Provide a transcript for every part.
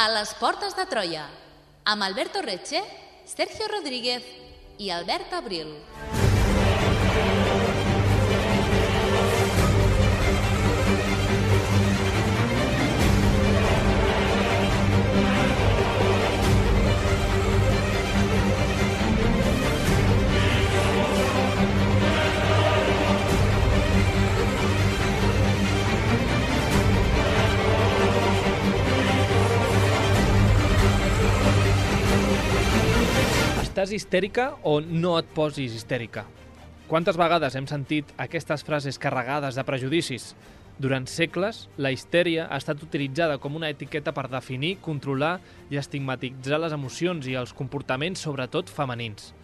A les portes de Troia, amb Alberto Reche, Sergio Rodríguez i Albert Abril. Estàs histèrica o no et posis histèrica? Quantes vegades hem sentit aquestes frases carregades de prejudicis? Durant segles, la histèria ha estat utilitzada com una etiqueta per definir, controlar i estigmatitzar les emocions i els comportaments, sobretot femenins.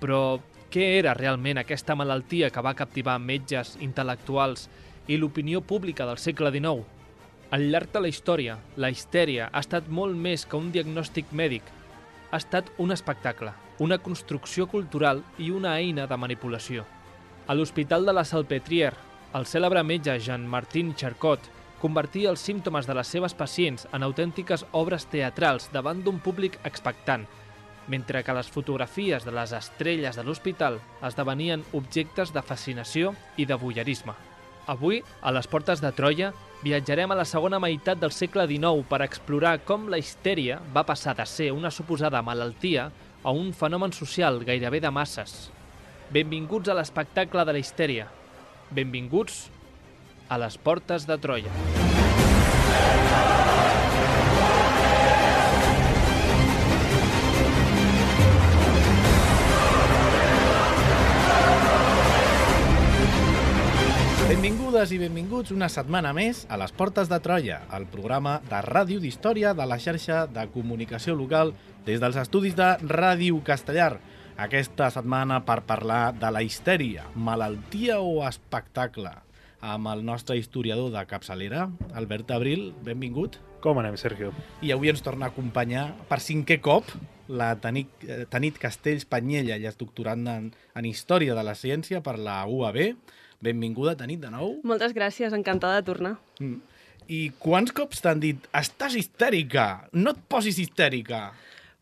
Però què era realment aquesta malaltia que va captivar metges, intel·lectuals i l'opinió pública del segle XIX? Al llarg de la història, la histèria ha estat molt més que un diagnòstic mèdic. Ha estat un espectacle, una construcció cultural i una eina de manipulació. A l'Hospital de la Salpêtrière, el cèlebre metge Jean-Martin Charcot convertia els símptomes de les seves pacients en autèntiques obres teatrals davant d'un públic expectant, mentre que les fotografies de les estrelles de l'hospital esdevenien objectes de fascinació i de voyeurisme. Avui, a les portes de Troia, viatjarem a la segona meitat del segle XIX per explorar com la histèria va passar de ser una suposada malaltia a un fenomen social gairebé de masses. Benvinguts a l'espectacle de la histèria. Benvinguts a les portes de Troia. Benvingudes i benvinguts una setmana més a les Portes de Troia, el programa de ràdio d'història de la xarxa de comunicació local des dels estudis de Ràdio Castellar. Aquesta setmana per parlar de la histèria, malaltia o espectacle, amb el nostre historiador de capçalera, Albert Abril. Benvingut. Com anem, Sergio? I avui ens torna a acompanyar per 5è cop la Tanit Castells Panyella, ella és doctoranda en Història de la Ciència per la UAB. Benvinguda, Tanit, de nou. Moltes gràcies, encantada de tornar. I quants cops t'han dit estàs histèrica, no et posis histèrica?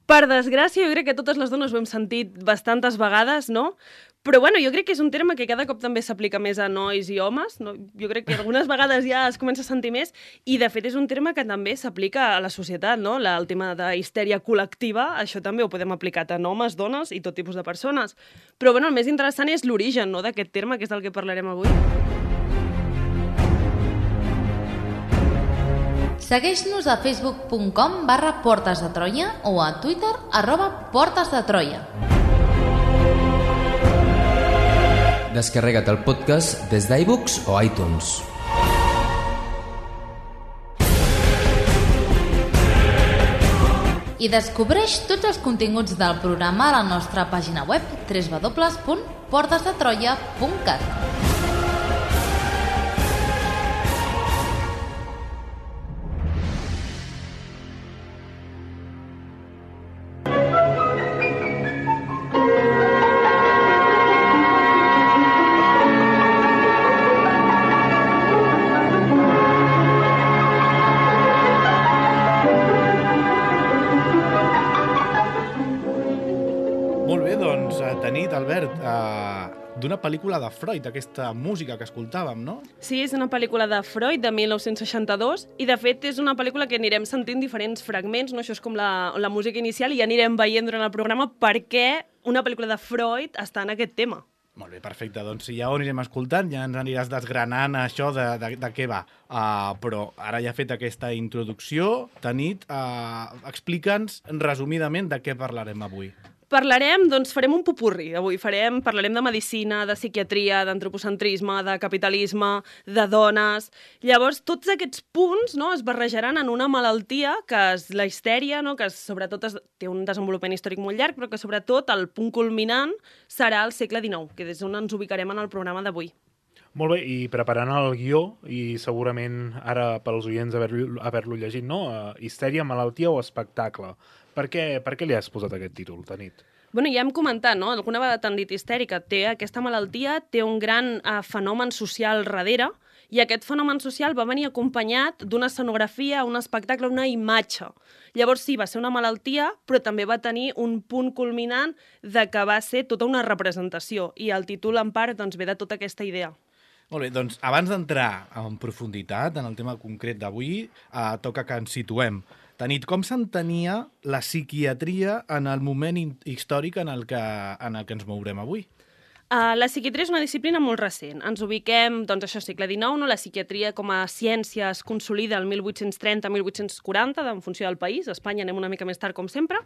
Per desgràcia, jo crec que totes les dones ho hem sentit bastantes vegades, no? Però bueno, jo crec que és un terme que cada cop també s'aplica més a nois i homes, no? Jo crec que algunes vegades ja es comença a sentir més, i de fet és un terme que també s'aplica a la societat, no? El tema de histèria col·lectiva, això també ho podem aplicar tant homes, dones i tot tipus de persones. Però bueno, el més interessant és l'origen, no?, d'aquest terme, que és del que parlarem avui. Segueix-nos a facebook.com/Portes de Troia o a Twitter @PortesDeTroia. Descarrega't el podcast des d'iBooks o iTunes. I descobreix tots els continguts del programa a la nostra pàgina web www.portesdetroia.cat. D'una pel·lícula de Freud, aquesta música que escoltàvem, no? Sí, és una pel·lícula de Freud de 1962 i de fet és una pel·lícula que anirem sentint diferents fragments, no? Això és com la música inicial i ja anirem veient durant el programa per què una pel·lícula de Freud està en aquest tema. Molt bé, perfecte. Doncs si ja ho anirem escoltant, ja ens aniràs desgranant això de què va. Però ara ja fet aquesta introducció, Tanit, explica'ns resumidament de què parlarem avui. Parlarem, doncs farem un popurri avui. Parlarem de medicina, de psiquiatria, d'antropocentrisme, de capitalisme, de dones. Llavors, tots aquests punts, no, es barrejaran en una malaltia que és la histèria, no, que sobretot té un desenvolupament històric molt llarg, però que sobretot el punt culminant serà el segle XIX, que és on ens ubicarem en el programa d'avui. Molt bé, i preparant el guió, i segurament ara pels oients haver-lo llegit, no? Histèria, malaltia o espectacle. Per què li has posat aquest títol, Tanit? Bueno, ja hem comentat, no? Alguna vegada t'han dit histèrica. Aquesta malaltia té un gran fenomen social darrere I aquest fenomen social va venir acompanyat d'una escenografia, un espectacle, una imatge. Llavors sí, va ser una malaltia, però també va tenir un punt culminant de que va ser tota una representació. I el títol, en part, doncs, ve de tota aquesta idea. Molt bé, doncs abans d'entrar en profunditat en el tema concret d'avui, toca que ens situem. Tanit, com s'entenia la psiquiatria en el moment històric en el que ens mourem avui? La psiquiatria és una disciplina molt recent. Ens ubiquem, doncs això, segle XIX, no? La psiquiatria com a ciència es consolida el 1830-1840, en funció del país. A Espanya anem una mica més tard, com sempre.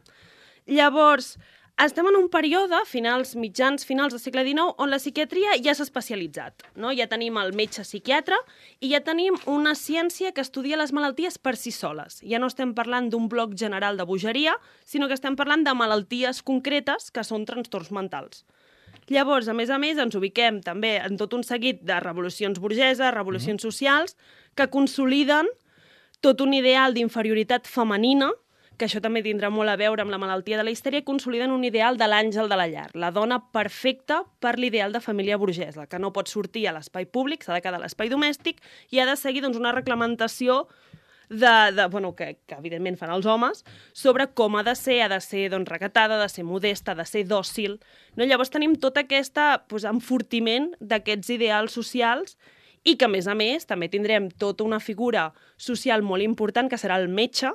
Llavors, estem en un període, finals del segle XIX, on la psiquiatria ja s'ha especialitzat. No? Ja tenim el metge psiquiatre i ja tenim una ciència que estudia les malalties per si soles. Ja no estem parlant d'un bloc general de bogeria, sinó que estem parlant de malalties concretes que són trastorns mentals. Llavors, a més, ens ubiquem també en tot un seguit de revolucions burgeses, revolucions socials, que consoliden tot un ideal d'inferioritat femenina, que això també tindrà molt a veure amb la malaltia de la histèria, consoliden un ideal de l'àngel de la llar, la dona perfecta per l'ideal de família burgesa, que no pot sortir a l'espai públic, s'ha de quedar a l'espai domèstic, i ha de seguir una reglamentació que evidentment fan els homes, sobre com ha de ser recatada, ha de ser modesta, ha de ser dòcil. No? Llavors tenim tot aquest enfortiment d'aquests ideals socials i que, a més, també tindrem tota una figura social molt important, que serà el metge,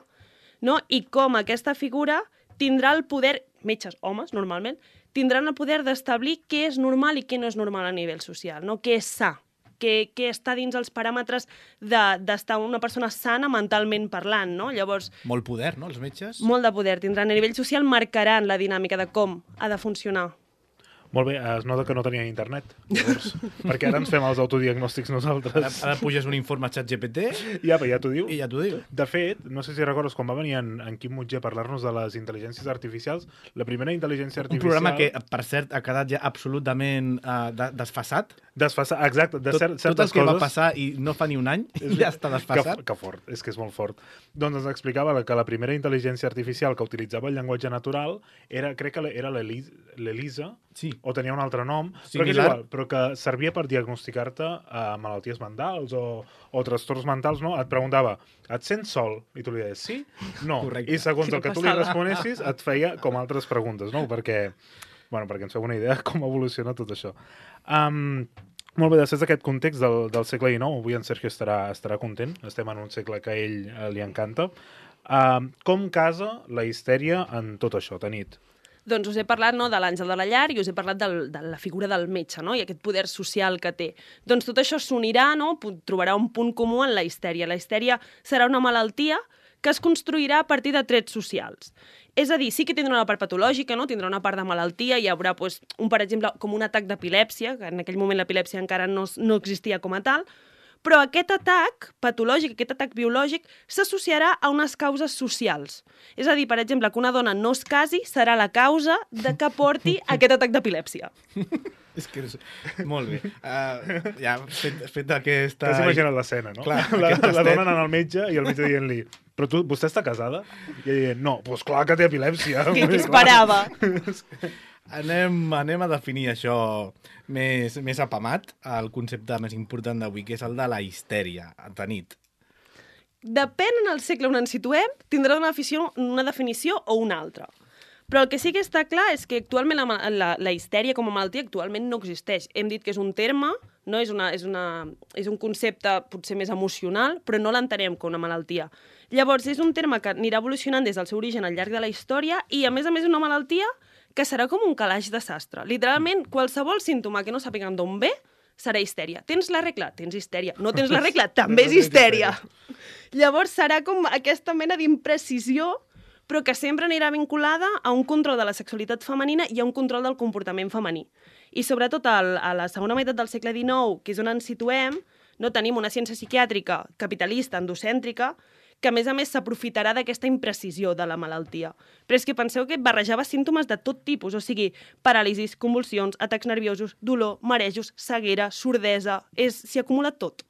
no? I com aquesta figura tindrà el poder, metges, homes, normalment, tindran el poder d'establir què és normal i què no és normal a nivell social, no? Què és sa, què està dins els paràmetres d'estar una persona sana mentalment parlant, no? Llavors, molt poder, no, els metges? Molt de poder tindran. A nivell social marcaran la dinàmica de com ha de funcionar. Molt bé, es nota que no tenien internet, llavors, perquè ara ens fem els autodiagnòstics nosaltres. Ara puges un informe a ChatGPT ja t'ho diu. I ja t'ho diu. De fet, no sé si recordes quan va venir en Quim Mutger a parlar-nos de les intel·ligències artificials, la primera intel·ligència artificial... Un programa que, per cert, ha quedat ja absolutament desfasat. Desfasat, exacte, de certes coses. Tot el que va passar i no fa ni un any ja està desfasat. Que fort, és que és molt fort. Doncs ens explicava que la primera intel·ligència artificial que utilitzava el llenguatge natural era, crec que era l'Elisa, sí, o tenia un altre nom, similar, però que és igual, però que servia per diagnosticar-te malalties mentals o trastorns mentals, no? Et preguntava, et sents sol? I tu li deies, sí? No. Correcte. I segons el que tu li responessis, et feia com altres preguntes, no? Perquè ens feu una idea de com evoluciona tot això. Molt bé, després d'aquest context del segle XIX, avui en Sergio estarà content, estem en un segle que a ell li encanta. Com casa la histèria en tot això, Tanit? Doncs us he parlat de l'àngel de la llar i us he parlat de la figura del metge, no? I aquest poder social que té. Doncs tot això s'unirà, no? Trobarà un punt comú en la histèria. La histèria serà una malaltia que es construirà a partir de trets socials. És a dir, sí que tindrà una part patològica, no? Tindrà una part de malaltia, hi haurà, per exemple, com un atac d'epilèpsia, que en aquell moment l'epilèpsia encara no existia com a tal, però aquest atac patològic, aquest atac biològic, s'associarà a unes causes socials. És a dir, per exemple, que una dona no es casi serà la causa de que porti aquest atac d'epilèpsia. És que és... Molt bé. Ja, fet aquesta... T'has imaginat l'escena, no? Clar, la dona anant al metge i el metge dient-li però vostè està casada? I ella dient, no, doncs clar que té epilèpsia. Què esperava? Anem a definir això més apamat, el concepte més important d'avui, que és el de la histèria, Tanit. Depèn en el segle on ens situem, tindrà una definició o una altra. Però el que sí que està clar és que actualment la histèria com a malaltia actualment no existeix. Hem dit que és un terme, no? És un concepte potser més emocional, però no l'entenem com una malaltia. Llavors, és un terme que anirà evolucionant des del seu origen al llarg de la història i, a més, una malaltia que serà com un calaix de sastre. Literalment, qualsevol símptoma que no sàpiguen d'on ve serà histèria. Tens la regla? Tens histèria. No tens la regla? També és histèria. Llavors, serà com aquesta mena d'imprecisió, però que sempre anirà vinculada a un control de la sexualitat femenina i a un control del comportament femení. I sobretot a la segona meitat del segle XIX, que és on ens situem, no tenim una ciència psiquiàtrica capitalista, endocèntrica, que a més s'aprofitarà d'aquesta imprecisió de la malaltia. Però és que penseu que barrejava símptomes de tot tipus, o sigui, paràlisis, convulsions, atacs nerviosos, dolor, marejos, ceguera, sordesa... S'hi acumula tot.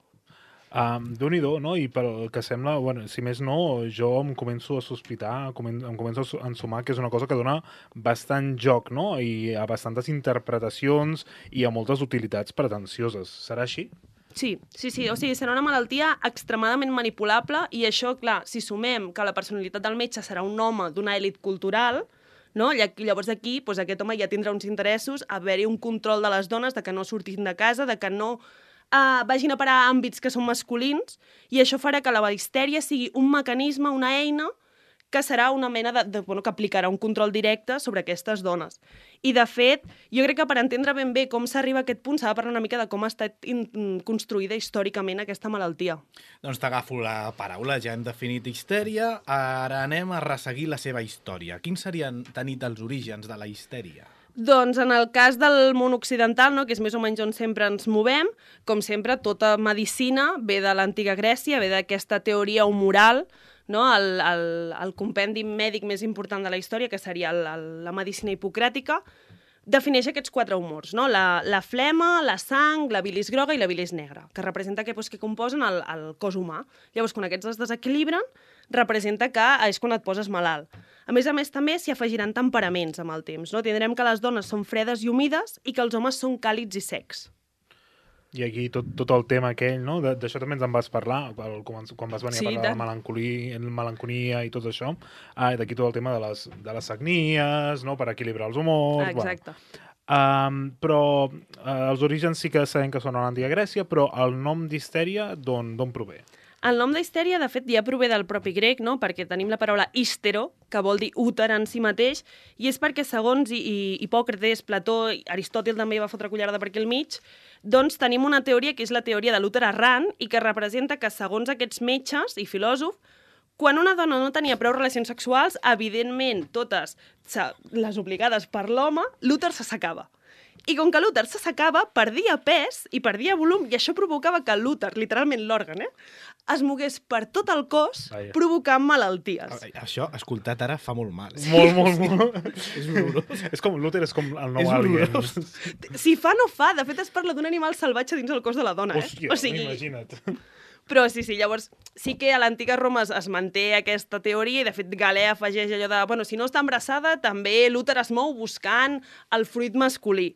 Déu-n'hi-do, no? I pel que sembla, si més no, jo em començo a sospitar, em començo a ensumar que és una cosa que dona bastant joc, no? I a bastantes interpretacions i a moltes utilitats pretensioses. Serà així? Sí, o sigui, serà una malaltia extremadament manipulable i això, clar, si sumem que la personalitat del metge serà un home d'una elit cultural, no? Llavors aquí doncs aquest home ja tindrà uns interessos, haver-hi un control de les dones, de que no surtin de casa, de que no vagin a parar a àmbits que són masculins, i això farà que la histèria sigui un mecanisme, una eina, que serà una mena que aplicarà un control directe sobre aquestes dones. I, de fet, jo crec que per entendre ben bé com s'arriba a aquest punt s'ha de parlar una mica de com ha estat construïda històricament aquesta malaltia. Doncs t'agafo la paraula, ja hem definit histèria, ara anem a resseguir la seva història. Quins serien, Tanit, els orígens de la histèria? Doncs en el cas del món occidental, no, que és més o menys on sempre ens movem, com sempre, tota medicina ve de l'antiga Grècia, ve d'aquesta teoria humoral, no? El compendi mèdic més important de la història, que seria la medicina hipocràtica, defineix aquests 4 humors, no? La flema, la sang, la bilis groga i la bilis negra, que representa que composen el cos humà. Llavors, quan aquests es desequilibren, representa que és quan et poses malalt. A més, també s'hi afegiran temperaments amb el temps. No? Tindrem que les dones són fredes i humides i que els homes són càlids i secs. I aquí tot el tema aquell, no? D'això també ens en vas parlar, quan vas venir a parlar de la melancolia i tot això. D'aquí tot el tema de les sagnies, no? Per equilibrar els humors. Exacte. Bueno. Però els orígens sí que sabem que són a l'antiga Grècia, però el nom d'histèria d'on prové? El nom d'histèria, de fet, ja prové del propi grec, no? Perquè tenim la paraula histero, que vol dir úter en si mateix, i és perquè, segons Hipòcrates, Plató, Aristòtil també va fotre cullerada per aquí al mig, doncs tenim una teoria que és la teoria de l'úter errant i que representa que, segons aquests metges i filòsofs, quan una dona no tenia prou relacions sexuals, evidentment, totes les obligades per l'home, l'úter s'assecava. I com que l'úter s'assecava, perdia pes i perdia volum, i això provocava que l'úter, literalment l'òrgan, es mogués per tot el cos, provocant malalties. Això, escoltat ara, fa molt mal. Molt. És horrorós. És com l'úter, és com el nou alien. Si fa, no fa. De fet, es parla d'un animal salvatge dins el cos de la dona. Hòstia, imagina't. Però sí, llavors sí que a l'antiga Roma es manté aquesta teoria i, de fet, Galè afegeix allò de, bueno, si no està embarassada, també l'úter es mou buscant el fruit masculí.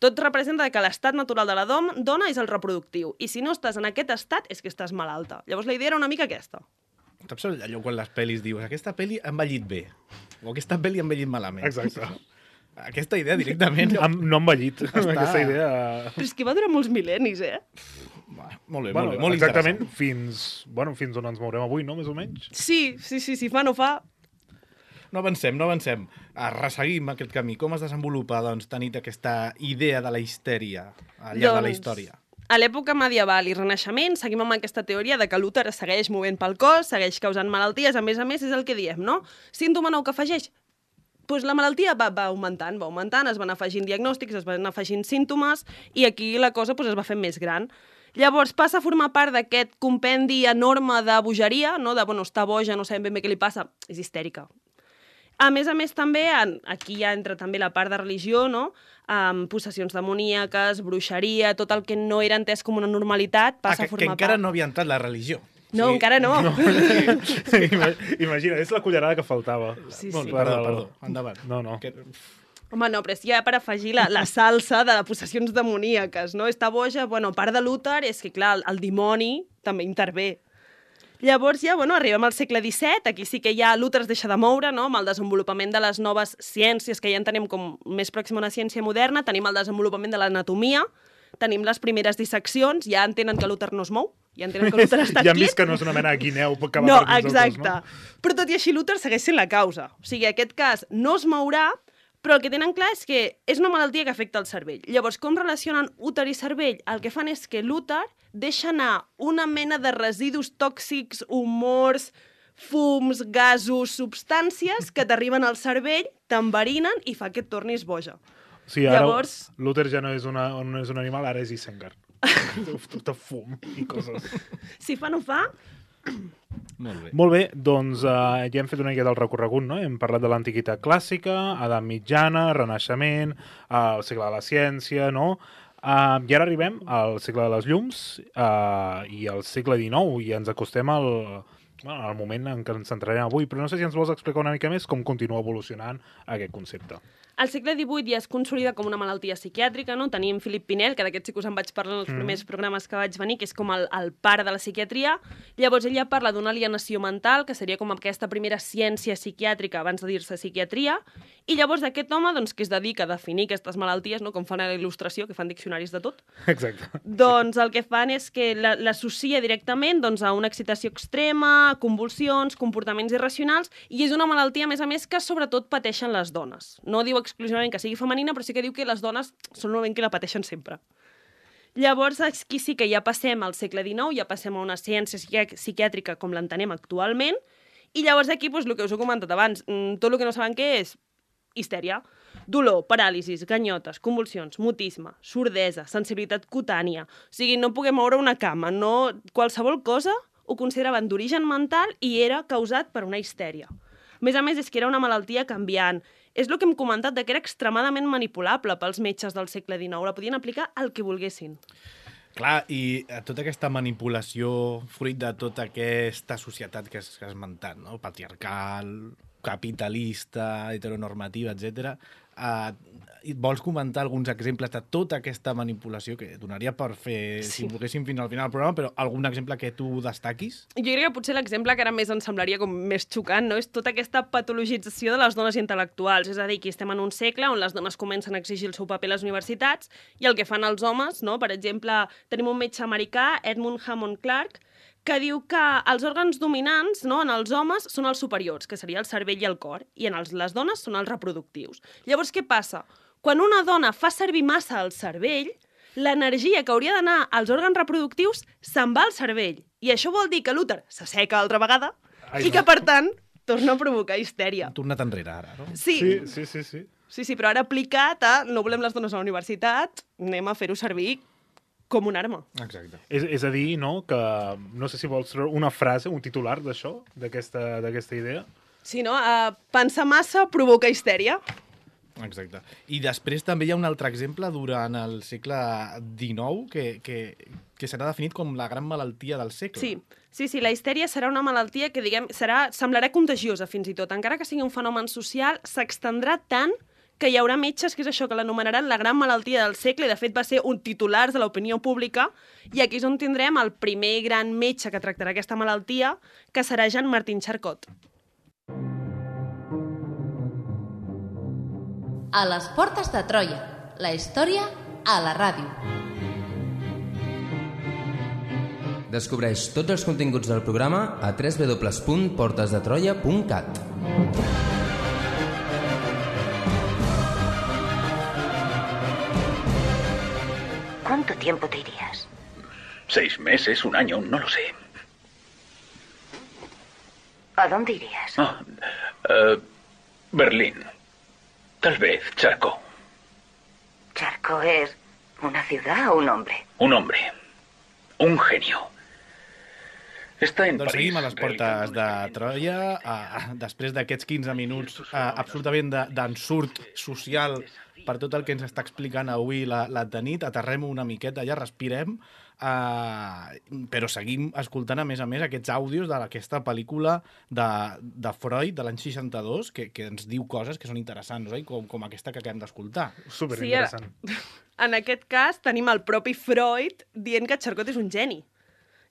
Tot representa que l'estat natural de la dona és el reproductiu, i si no estàs en aquest estat és que estàs malalta. Llavors la idea era una mica aquesta. Saps allò quan les pel·lis dius aquesta pel·li ha envellit bé, o aquesta pel·li ha envellit malament? Exacte. Aquesta idea directament... No ha envellit, aquesta idea... Però és que va durar molts mil·lennis, Molt bé, molt exactament, fins on ens mourem avui, no?, més o menys. Sí, fa no fa... No avancem. Resseguim aquest camí. Com es desenvolupa, doncs, Tanit, aquesta idea de la histèria al llarg de la història? A l'època medieval i renaixement seguim amb aquesta teoria de que l'úter es segueix movent pel cos, segueix causant malalties, a més, és el que diem, no? Símptoma nou que afegeix? Doncs la malaltia va augmentant, es van afegint diagnòstics, es van afegint símptomes, i aquí la cosa es va fent més gran. Llavors passa a formar part d'aquest compendi enorme de bogeria, no? De, està boja, no sabem ben bé què li passa, és histèrica. A més, també, aquí ja entra també la part de religió, no? Possessions demoníaques, bruixeria, tot el que no era entès com una normalitat passa a formar part. Que encara no havia entrat la religió. No, encara no. Imagina, és la cullerada que faltava. Sí. Perdó, endavant. No. Home, no, però és ja per afegir la salsa de possessions demoníaques, no? Està boja, a part de l'úter, és que, clar, el dimoni també intervé. Llavors ja, arribem al segle XVII, aquí sí que ja l'úter es deixa de moure, no? Amb el desenvolupament de les noves ciències, que ja entenem com més pròxima a una ciència moderna, tenim el desenvolupament de l'anatomia, tenim les primeres disseccions, ja entenen que l'úter no es mou, ja entenen que l'úter està quiet. Ja han vist quiet. que no és una mena de guineu que va no, per dins exacte. el cos, no? Però tot i així l'úter segueix sent la causa. O sigui, en aquest cas no es mourà, però el que tenen clar és que és una malaltia que afecta el cervell. Llavors, com relacionen úter i cervell? El que fan és que l'úter deixa anar una mena de residus tòxics, humors, fums, gasos, substàncies que t'arriben al cervell, t'enverinen i fa que et tornis boja. Sí, ara l'úter ja no és un animal, ara és Isengard. Tot fum i coses. Si fa no fa... Molt bé, doncs ja hem fet una mica del recorregut, no? Hem parlat de l'antiguitat clàssica, edat mitjana, renaixement, el segle de la ciència, no? I ara arribem al segle de les llums i al segle XIX, i ens acostem Bueno, el moment en què ens centrarem avui, però no sé si ens vols explicar una mica més com continua evolucionant aquest concepte. Al segle XVIII ja es consolida com una malaltia psiquiàtrica, no? Tenim Philip Pinel, que d'aquest sí que us en vaig parlar en els primers programes que vaig venir, que és com el pare de la psiquiatria. Llavors ella parla d'una alienació mental, que seria com aquesta primera ciència psiquiàtrica abans de dir-se psiquiatria, i llavors aquest home, doncs, que es dedica a definir aquestes malalties, no? Com fan a la il·lustració, que fan diccionaris de tot, Exacte. doncs el que fan és que l'associa directament doncs, a una excitació extrema, convulsions, comportaments irracionals, i és una malaltia, a més, que sobretot pateixen les dones. No diu exclusivament que sigui femenina, però sí que diu que les dones són normalment que la pateixen sempre. Llavors, aquí sí que ja passem al segle XIX, ja passem a una ciència psiquiàtrica com l'entenem actualment, i llavors aquí, doncs, el que us he comentat abans, tot el que no saben què és, histèria, dolor, paràlisis, ganyotes, convulsions, mutisme, sordesa, sensibilitat cutània, o sigui, no poder moure una cama, no... qualsevol cosa ho consideraven d'origen mental i era causat per una histèria. A més, és que era una malaltia canviant. És el que hem comentat, que era extremadament manipulable pels metges del segle XIX. La podien aplicar al que volguessin. Clar, i tota aquesta manipulació fruit de tota aquesta societat que has esmentat, no? Patriarcal, capitalista, heteronormativa, etc. Vols comentar alguns exemples de tota aquesta manipulació que donaria per fer, si volguéssim, fins al final del programa, però algun exemple que tu destaquis? Jo crec que potser l'exemple que ara més ens semblaria com més xocant, no? És tota aquesta patologització de les dones intel·lectuals. És a dir, que estem en un segle on les dones comencen a exigir el seu paper a les universitats i el que fan els homes, no? Per exemple, tenim un metge americà, Edmund Hammond Clark, que diu que els òrgans dominants, no, en els homes són els superiors, que seria el cervell i el cor, i en les dones són els reproductius. Llavors, què passa? Quan una dona fa servir massa el cervell, l'energia que hauria d'anar als òrgans reproductius se'n va al cervell. I això vol dir que l'úter s'asseca altra vegada i que, per tant, torna a provocar histèria. Hem tornat enrere, ara, no? Sí, però ara aplicat a no volem les dones a la universitat, anem a fer-ho servir com una arma. Exacte. És a dir, no, que no sé si vols treure una frase, un titular d'això, d'aquesta idea. Sí, no? Pensar massa provoca histèria. Exacte. I després també hi ha un altre exemple durant el segle XIX que serà definit com la gran malaltia del segle. Sí, la histèria serà una malaltia que, semblarà contagiosa fins i tot. Encara que sigui un fenomen social, s'extendrà tant que hi haurà metges, que és això, que l'anomenaran la gran malaltia del segle, i de fet va ser un titular de l'opinió pública, i aquí és on tindrem el primer gran metge que tractarà aquesta malaltia, que serà Jean-Martin Charcot. A les portes de Troia, la història a la ràdio. Descobreix tots els continguts del programa a www.portesdetroia.cat. ¿Cuánto tiempo te irías? 6 meses, 1 año, no lo sé. ¿A dónde irías? Berlín. Tal vez Charcot. ¿Charcot es una ciudad o un hombre? Un hombre. Un genio. Està en Doncs París. seguim a les portes de Troia. Després d'aquests 15 minuts absolutament d'ensurt social per tot el que ens està explicant avui la Tanit, aterrem una miqueta, ja respirem, però seguim escoltant, a més, aquests àudios d'aquesta pel·lícula de Freud, de l'any 62, que ens diu coses que són interessants, oi? Com aquesta que acabem d'escoltar. Superinteressant. Sí, en aquest cas tenim el propi Freud dient que Charcot és un geni.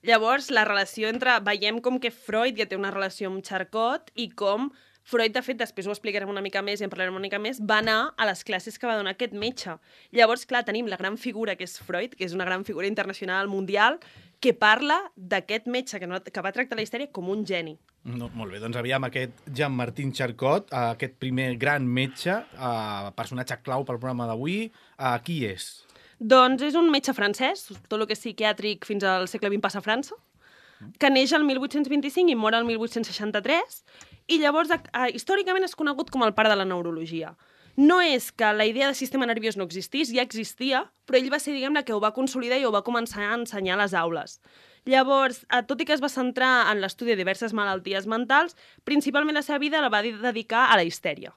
Llavors, la relació veiem com que Freud ja té una relació amb Charcot i com Freud, de fet, després ho explicarem una mica més i en parlarem una mica més, va anar a les classes que va donar aquest metge. Llavors, clar, tenim la gran figura que és Freud, que és una gran figura internacional, mundial, que parla d'aquest metge que va tractar la histèria com un geni. No, molt bé, doncs aviam aquest Jean-Martin Charcot, aquest primer gran metge, personatge clau pel programa d'avui, qui és? Doncs és un metge francès, tot el que és psiquiàtric fins al segle XX passa a França, que neix el 1825 i mor el 1863, i llavors històricament és conegut com el pare de la neurologia. No és que la idea de sistema nerviós no existís, ja existia, però ell va ser, diguem-ne, que ho va consolidar i ho va començar a ensenyar a les aules. Llavors, tot i que es va centrar en l'estudi de diverses malalties mentals, principalment la seva vida la va dedicar a la histèria.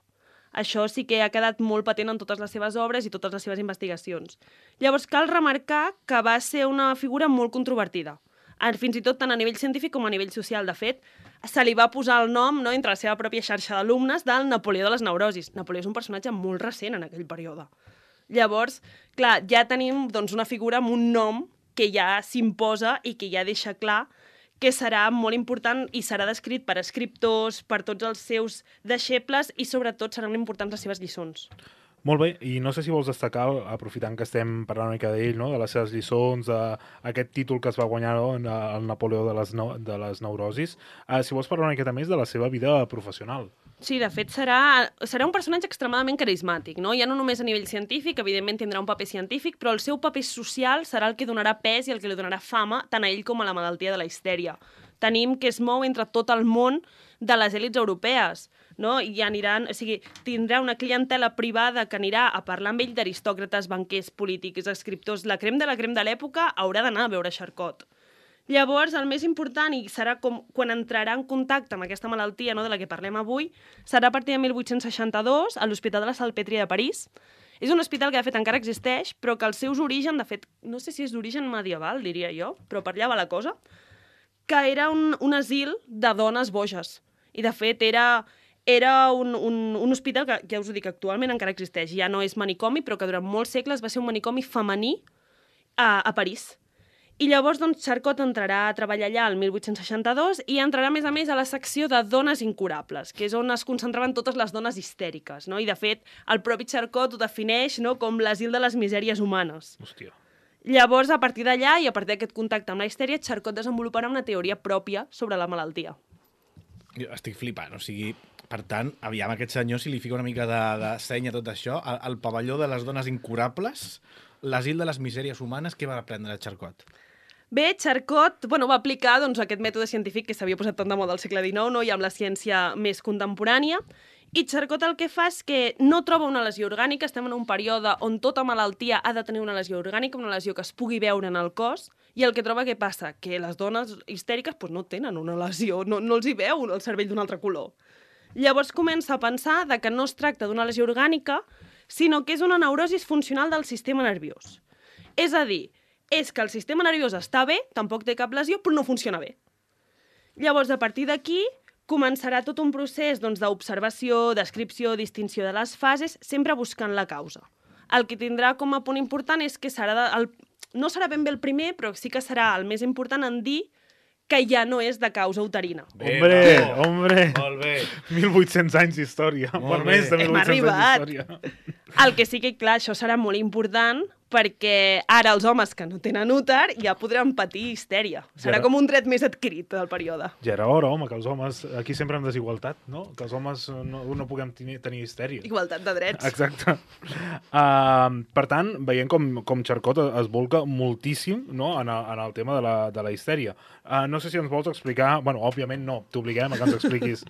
Això sí que ha quedat molt patent en totes les seves obres i totes les seves investigacions. Llavors, cal remarcar que va ser una figura molt controvertida. fins i tot tant a nivell científic com a nivell social. De fet, se li va posar el nom, no, entre la seva pròpia xarxa d'alumnes, del Napoleó de les neurosis. Napoleó és un personatge molt recent en aquell període. Llavors, clar, ja tenim doncs, una figura amb un nom que ja s'imposa i que ja deixa clar que serà molt important i serà descrit per escriptors, per tots els seus deixebles i sobretot seran importants les seves lliçons. Molt bé, i no sé si vols destacar, aprofitant que estem parlant una mica d'ell, no? De les seves lliçons, d'aquest títol que es va guanyar, no? El Napoleó de les neurosis, si vols parlar una miqueta més de la seva vida professional. Sí, de fet, serà un personatge extremadament carismàtic, no? Ja no només a nivell científic, evidentment tindrà un paper científic, però el seu paper social serà el que donarà pes i el que li donarà fama tant a ell com a la malaltia de la histèria. Tenim que es mou entre tot el món de les èlits europees, no? I aniran, o sigui, tindrà una clientela privada que anirà a parlar amb ell d'aristòcrates, banquers, polítics, escriptors. La crem de l'època haurà d'anar a veure Charcot. Llavors, el més important, i serà com quan entrarà en contacte amb aquesta malaltia, no, de la que parlem avui, serà a partir de 1862 a l'Hospital de la Salpêtrière de París. És un hospital que, de fet, encara existeix, però que els seus orígens, de fet, no sé si és d'origen medieval, diria jo, però per allà va la cosa, que era un asil de dones boges. I, de fet, era un hospital que, ja us ho dic, actualment encara existeix. Ja no és manicomi, però que durant molts segles va ser un manicomi femení a París. I llavors, doncs, Charcot entrarà a treballar allà el 1862 i entrarà, a més, a la secció de dones incurables, que és on es concentraven totes les dones histèriques, no? I, de fet, el propi Charcot ho defineix, no?, com l'asil de les misèries humanes. Hòstia. Llavors, a partir d'allà i a partir d'aquest contacte amb la histèria, Charcot desenvoluparà una teoria pròpia sobre la malaltia. Jo estic flipant, o sigui, per tant, aviam aquest senyor, si li fica una mica de seny a tot això, el pavelló de les dones incurables, l'asil de les misèries humanes, què va aprendre Charcot? Bé, Charcot va aplicar doncs, aquest mètode científic que s'havia posat tant de moda al segle XIX, no? I amb la ciència més contemporània, i Charcot el que fa és que no troba una lesió orgànica, estem en un període on tota malaltia ha de tenir una lesió orgànica, una lesió que es pugui veure en el cos, i el que troba què passa? Que les dones histèriques no tenen una lesió, no els hi veu el cervell d'un altre color. Llavors comença a pensar que no es tracta d'una lesió orgànica, sinó que és una neurosi funcional del sistema nerviós. És a dir, és que el sistema nerviós està bé, tampoc té cap lesió, però no funciona bé. Llavors, a partir d'aquí, començarà tot un procés d'observació, descripció, distinció de les fases, sempre buscant la causa. El que tindrà com a punt important és que no serà ben bé el primer, però sí que serà el més important en dir que ja no és de causa uterina. Hombre! Molt bé. 1800 anys d'història. Per més de 1800 anys d'història. El que sí que, clar, això serà molt important perquè ara els homes que no tenen úter ja podran patir histèria. Serà com un dret més adquirit del període. Ja era hora, home, que els homes... Aquí sempre amb desigualtat, no? Que els homes no puguem tenir histèria. Igualtat de drets. Exacte. Per tant, veiem com Charcot es volca moltíssim, no?, en el tema de la histèria. No sé si ens vols explicar... Bueno, òbviament no, t'obliguem a que ens expliquis,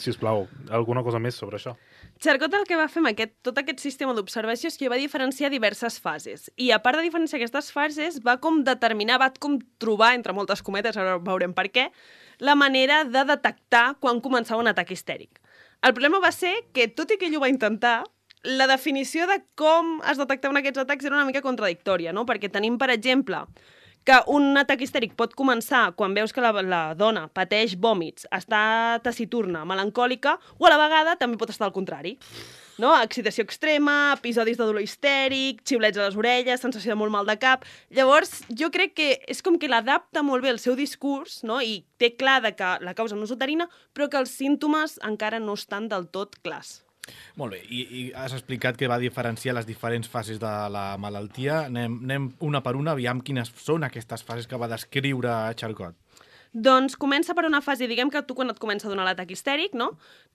sisplau, alguna cosa més sobre això. Charcot el que va fer amb tot aquest sistema d'observació és que va diferenciar diverses fases. I a part de diferenciar aquestes fases, va com trobar, entre moltes cometes, ara veurem per què, la manera de detectar quan començava un atac histèric. El problema va ser que, tot i que ell ho va intentar, la definició de com es detectaven aquests atacs era una mica contradictòria, no? Perquè tenim, per exemple, que un atac histèric pot començar quan veus que la dona pateix vòmits, està taciturna, melancòlica, o a la vegada també pot estar al contrari. No? Excitació extrema, episodis de dolor histèric, xiulets a les orelles, sensació de molt mal de cap... Llavors, jo crec que és com que l'adapta molt bé el seu discurs, no? I té clar que la causa no és uterina, però que els símptomes encara no estan del tot clars. Molt bé, i has explicat que va diferenciar les diferents fases de la malaltia. Anem una per una, aviam quines són aquestes fases que va descriure Charcot. Doncs comença per una fase, diguem que tu quan et comença a donar l'atac histèric, no?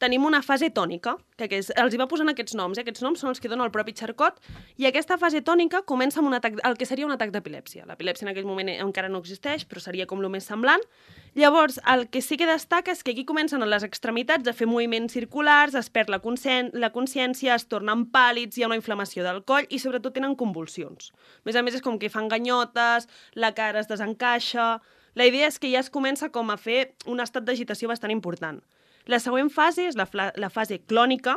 Tenim una fase tònica, que els hi va posant aquests noms. Aquests noms són els que dona el propi Charcot, i aquesta fase tònica comença amb un atac, el que seria un atac d'epilèpsia. L'epilèpsia en aquell moment encara no existeix, però seria com el més semblant. Llavors, el que sí que destaca és que aquí comencen a les extremitats a fer moviments circulars, es perd la consciència, es tornen pàl·lids, hi ha una inflamació del coll i sobretot tenen convulsions. A més, és com que fan ganyotes, la cara es desencaixa... La idea és que ja es comença com a fer un estat d'agitació bastant important. La següent fase és la fase clònica,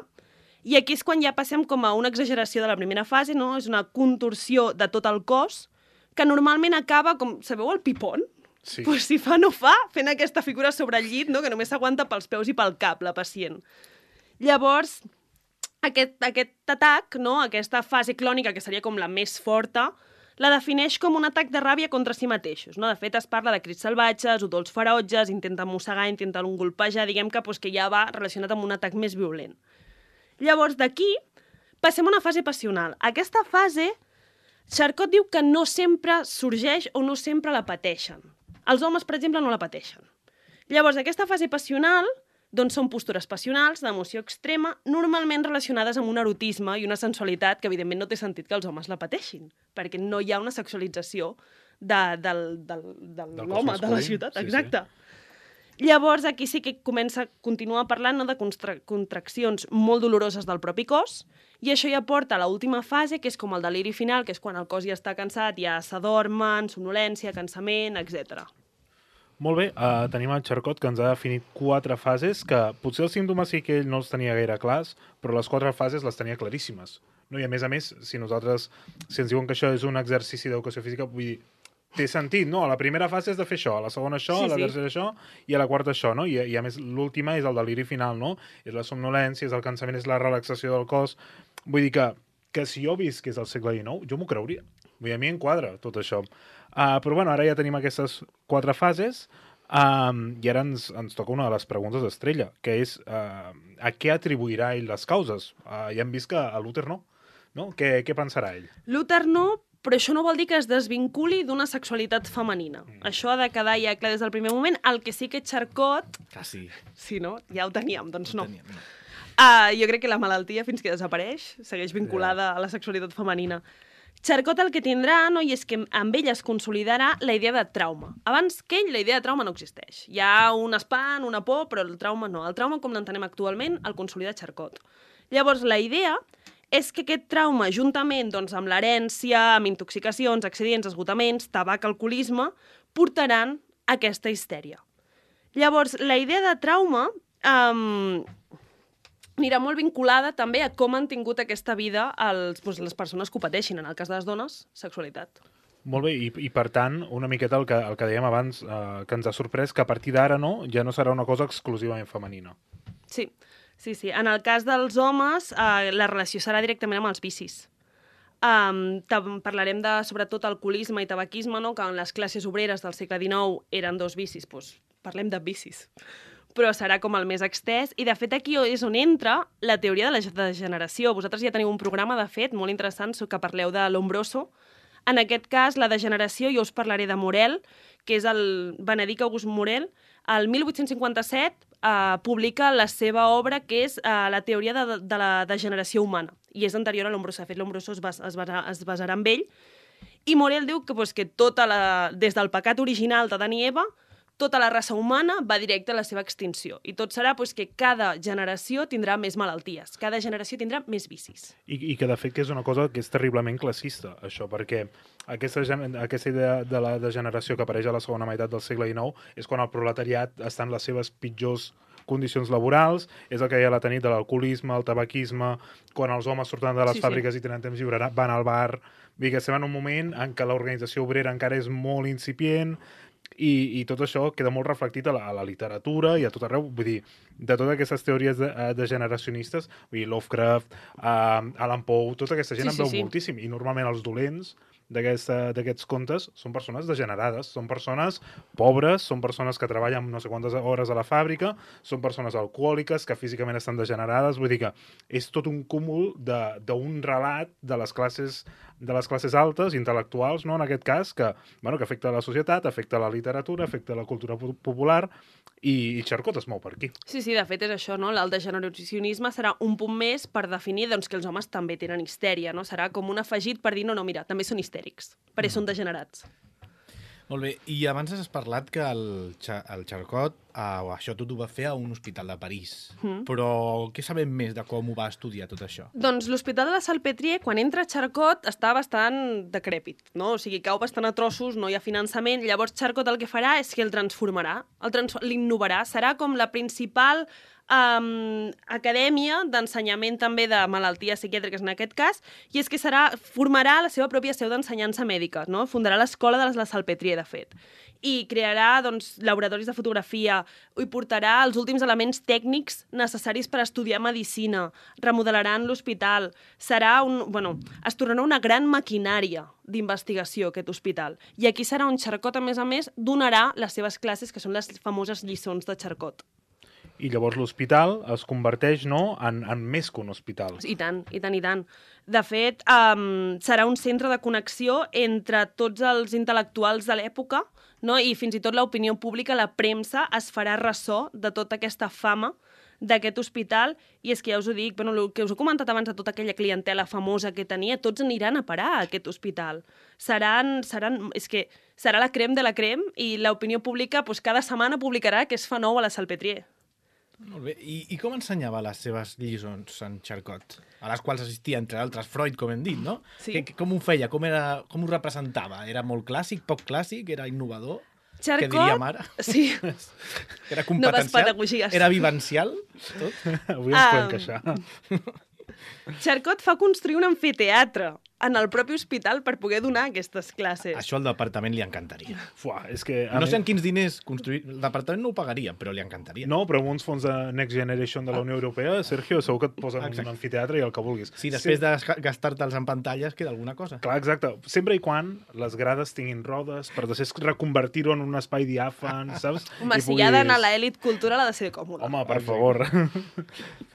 i aquí és quan ja passem com a una exageració de la primera fase, no? És una contorsió de tot el cos, que normalment acaba, com sabeu, el pipón? Sí. Pues si fa no fa, fent aquesta figura sobre el llit, no? Que només s'aguanta pels peus i pel cap, la pacient. Llavors, aquest atac, no? Aquesta fase clònica, que seria com la més forta, la defineix com un atac de ràbia contra si mateixos. No? De fet, es parla de crits salvatges, udols ferotges, intenten mossegar, intenten golpejar, diguem que ja va relacionat amb un atac més violent. Llavors, d'aquí, passem a una fase passional. Aquesta fase, Charcot diu que no sempre sorgeix o no sempre la pateixen. Els homes, per exemple, no la pateixen. Llavors, aquesta fase passional doncs són postures passionals, d'emoció extrema, normalment relacionades amb un erotisme i una sensualitat que, evidentment, no té sentit que els homes la pateixin, perquè no hi ha una sexualització de l'home, de la ciutat. Sí, exacte. Sí. Llavors, aquí sí que continua parlant, no, de contraccions molt doloroses del propi cos, i això ja porta a l'última fase, que és com el deliri final, que és quan el cos ja està cansat, ja s'adormen, somnolència, cansament, etc. Molt bé, tenim el Charcot, que ens ha definit 4 fases, que potser els símptomes sí que ell no els tenia gaire clars, però les 4 fases les tenia claríssimes. No? I a més, si ens diuen que això és un exercici d'educació física, vull dir, té sentit, no? A la primera fase és de fer això, a la segona això, a la tercera això, i a la quarta això, no? I a més, l'última és el deliri final, no? És la somnolència, és el cansament, és la relaxació del cos. Vull dir que si jo visc que és el segle XIX, jo m'ho creuria. Vull dir, a mi em quadra tot això. Però bueno, ara ja tenim aquestes 4 fases i ara ens toca una de les preguntes estrella, que és a què atribuirà ell les causes? Ja hem vist que a Luther no? Què pensarà ell? Luther no, però això no vol dir que es desvinculi d'una sexualitat femenina. Això ha de quedar ja clar des del primer moment. El que sí que Charcot... Quasi. Sí, no? Ja ho teníem, doncs no. No. Jo crec que la malaltia, fins que desapareix, segueix vinculada a la sexualitat femenina. Charcot el que tindrà, no, i és que amb ell es consolidarà la idea de trauma. Abans que ell, la idea de trauma no existeix. Hi ha un espant, una por, però el trauma no. El trauma, com l'entenem actualment, el consolida Charcot. Llavors, la idea és que aquest trauma, juntament doncs, amb l'herència, amb intoxicacions, accidents, esgotaments, tabac, alcoholisme, portaran aquesta histèria. Llavors, la idea de trauma anirà molt vinculada també a com han tingut aquesta vida les persones que ho pateixin. En el cas de les dones, sexualitat. Molt bé, i per tant, una miqueta el que dèiem abans, que ens ha sorprès, que a partir d'ara ja no serà una cosa exclusivament femenina. Sí. En el cas dels homes, la relació serà directament amb els vicis. Parlarem de, sobretot, alcoholisme i tabaquisme, no? Que en les classes obreres del segle XIX eren 2 vicis. Doncs parlem de vicis. Però serà com el més extès. I, de fet, aquí és on entra la teoria de la degeneració. Vosaltres ja teniu un programa, de fet, molt interessant, que parleu de Lombroso. En aquest cas, la degeneració, jo us parlaré de Morel, que és el Benedict August Morel. El 1857 publica la seva obra, que és la teoria de la degeneració humana, i és anterior a Lombroso. De fet, Lombroso es basarà en ell, i Morel diu que des del pecat original d'Adam i Eva, tota la raça humana va directe a la seva extinció. I tot serà que cada generació tindrà més malalties, cada generació tindrà més vicis. I que, de fet, que és una cosa que és terriblement classista, això, perquè aquesta idea de la degeneració que apareix a la segona meitat del segle XIX és quan el proletariat està en les seves pitjors condicions laborals, és el que hi ha a la tenit de l'alcoholisme, el tabaquisme, quan els homes surten de les fàbriques i tenen temps lliure, van al bar. Vull dir que estem en un moment en què l'organització obrera encara és molt incipient, i tot això queda molt reflectit a la literatura i a tot arreu. Vull dir, de totes aquestes teories degeneracionistes, vull dir, Lovecraft, Allan Poe, tota aquesta gent en veu moltíssim. I normalment els dolents d'aquests contes són persones degenerades, són persones pobres, són persones que treballen no sé quantes hores a la fàbrica, són persones alcohòliques que físicament estan degenerades. Vull dir que és tot un cúmul d'un relat de les classes altes, intel·lectuals, no? En aquest cas, que afecta la societat, afecta la literatura, afecta la cultura popular, i Charcot es mou per aquí. Sí, de fet és això, no? El degeneracionisme serà un punt més per definir que els homes també tenen histèria, no? Serà com un afegit per dir, no, mira, també són histèrics, perquè són degenerats. Molt bé, i abans has parlat que el Charcot això tot ho va fer a un hospital de París. Però què sabem més de com ho va estudiar tot això? Doncs l'hospital de la Salpêtrière, quan entra Charcot, està bastant decrèpit, no? O sigui, cau bastant a trossos, no hi ha finançament. Llavors Charcot el que farà és que el transformarà, l'innovarà. Serà com la principal acadèmia d'ensenyament també de malalties psiquiàtriques en aquest cas, i és que formarà la seva pròpia seu d'ensenyança mèdica, no? Fundarà l'escola de la Salpêtrière, de fet, i crearà laboratoris de fotografia, i portarà els últims elements tècnics necessaris per estudiar medicina, remodelaran l'hospital, es tornarà una gran maquinària d'investigació aquest hospital. I aquí serà on Charcot, a més, donarà les seves classes, que són les famoses lliçons de Charcot. I llavors l'hospital es converteix, no?, en més que un hospital. I tant. De fet, serà un centre de connexió entre tots els intel·lectuals de l'època, no? I fins i tot l'opinió pública, la premsa, es farà ressò de tota aquesta fama d'aquest hospital, i és que ja us ho dic, el que us he comentat abans de tota aquella clientela famosa que tenia, tots aniran a parar a aquest hospital. Serà la crème de la crème, i l'opinió pública cada setmana publicarà què es fa nou a la Salpêtrière. Molt bé. I com ensenyava les seves lliçons en Charcot? A les quals assistia, entre altres, Freud, com hem dit, no? Sí. Com ho feia? Com ho representava? Era molt clàssic, poc clàssic? Era innovador? Charcot, què diríem ara? Sí. Era competencial? Noves pedagogies. Era vivencial? Tot? Avui ens podem queixar. Charcot fa construir un amfiteatre en el propi hospital per poder donar aquestes classes. Això al departament li encantaria. És que no sé en quins diners construir... El departament no ho pagaria, però li encantaria. No, però amb uns fons de Next Generation de la Unió Europea, Sergio, segur que et posen un amfiteatre i el que vulguis. Sí, després de gastar-te'ls en pantalles queda alguna cosa. Clar, exacte. Sempre i quan les grades tinguin rodes, per després reconvertir-ho en un espai diàfan, saps? Home, si hi ha d'anar a l'elit cultural ha de ser còmode. Home, per favor.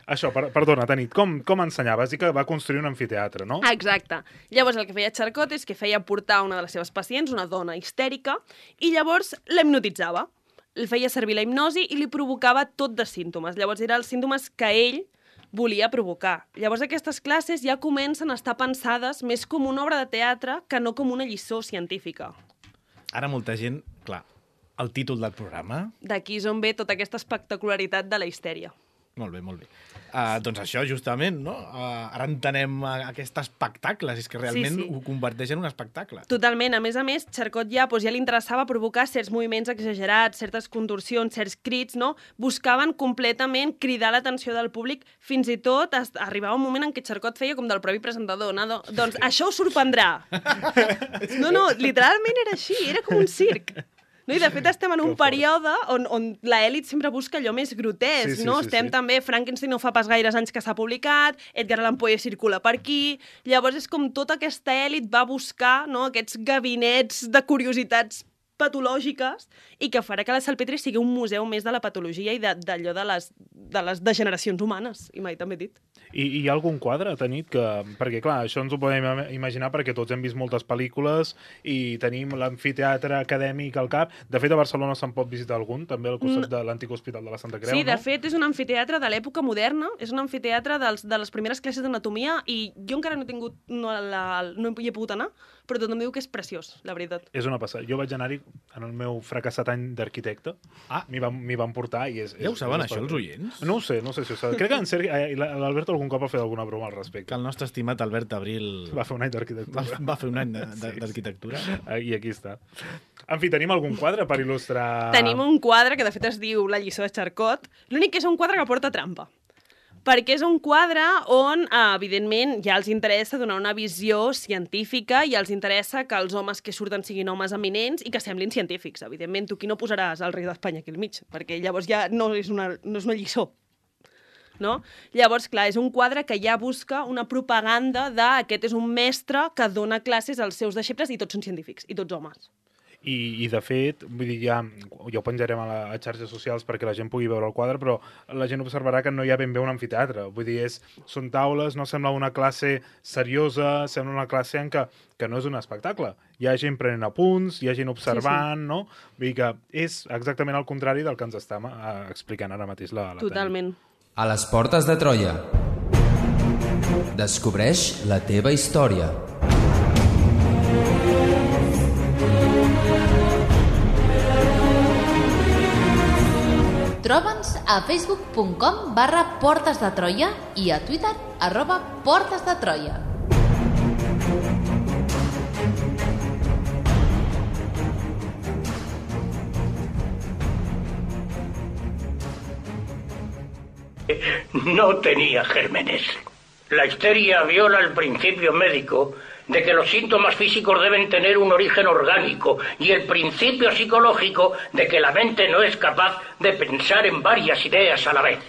Això, perdona, Tanit, com ensenyava? Has dit que va construir un amfiteatre, no? Exacte. Llavors el que feia Charcot és que feia portar una de les seves pacients, una dona histèrica, i llavors la hipnotitzava. El feia servir la hipnosi i li provocava tot de símptomes. Llavors eren els símptomes que ell volia provocar. Llavors aquestes classes ja comencen a estar pensades més com una obra de teatre que no com una lliçó científica. Ara molta gent, clar, el títol del programa... D'aquí és on ve tota aquesta espectacularitat de la histèria. Molt bé, molt bé. Doncs això, justament, no? Ara entenem aquest espectacle, és que realment ho converteix en un espectacle. Totalment. A més, Charcot ja li interessava provocar certs moviments exagerats, certes contorsions, certs crits, no? Buscaven completament cridar l'atenció del públic, fins i tot arribava un moment en què Charcot feia com del propi presentador, no? Doncs això us sorprendrà. No, literalment era així, era com un circ. No, i de fet estem en un període on l'elit sempre busca allò més grotesc, no? Estem també, Frankenstein no fa pas gaires anys que s'ha publicat, Edgar Allan Poe circula per aquí, llavors és com tota aquesta elit va buscar, no, aquests gabinets de curiositats patològiques i que farà que la Salpêtrière sigui un museu més de la patologia i d'allò de les degeneracions humanes, i mai també dit. I hi ha algun quadre, Tanit, que... Perquè, clar, això ens ho podem imaginar perquè tots hem vist moltes pel·lícules i tenim l'amfiteatre acadèmic al cap. De fet, a Barcelona se'n pot visitar algun, també al costat de l'antic hospital de la Santa Creu, sí, no? De fet, és un amfiteatre de l'època moderna, és un amfiteatre de les primeres classes d'anatomia i jo encara no hi he pogut anar, però tothom diu que és preciós, la veritat. És una passada. Jo vaig anar-hi en el meu fracassat any d'arquitecte. M'hi van portar i és... Ja ho saben, això, els oients? No ho sé si ho saben. Crec que en Sergi, l'Alberto algun cop ha fet alguna broma al respecte. Que el nostre estimat Albert Abril... Va fer un any d'arquitectura. Va fer un any d'arquitectura. I aquí està. En fi, tenim algun quadre per il·lustrar... Tenim un quadre que de fet es diu La lliçó de Charcot. L'únic que és un quadre que porta trampa. Perquè és un quadre on, evidentment, ja els interessa donar una visió científica i els interessa que els homes que surten siguin homes eminents i que semblin científics. Evidentment, tu aquí no posaràs el rei d'Espanya aquí al mig, perquè llavors ja no és una lliçó. No? Llavors, clar, és un quadre que ja busca una propaganda d'aquest és un mestre que dona classes als seus deixebles i tots són científics, i tots homes. I de fet, vull dir, ja ho penjarem a xarxes socials perquè la gent pugui veure el quadre, però la gent observarà que no hi ha ben bé un amfiteatre. Vull dir, són taules, no sembla una classe seriosa, sembla una classe en que no és un espectacle. Hi ha gent prenent apunts, hi ha gent observant, no? Vull dir que és exactament el contrari del que ens està explicant ara mateix la Totalment. A les portes de Troia. Descobreix la teva història. Troba'ns a facebook.com/Portes de Troia i a Twitter @Portes de Troia. no tenía gérmenes. La histeria viola el principio médico de que los síntomas físicos deben tener un origen orgánico y el principio psicológico de que la mente no es capaz de pensar en varias ideas a la vez.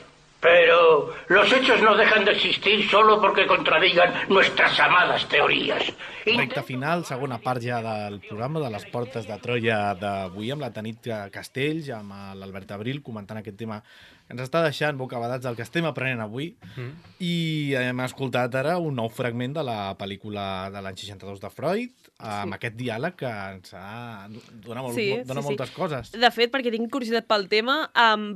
Pero los hechos no dejan de existir solo porque contradigan nuestras amadas teorías. Recte final, segona part ja del programa de les Portes de Troia d'avui amb la Tanit Castells, amb l'Albert Abril, comentant aquest tema que ens està deixant bocabadats del que estem aprenent avui. I hem escoltat ara un nou fragment de la pel·lícula de l'any 62 de Freud, amb aquest diàleg que ens dona moltes coses. De fet, perquè tinc curiositat pel tema,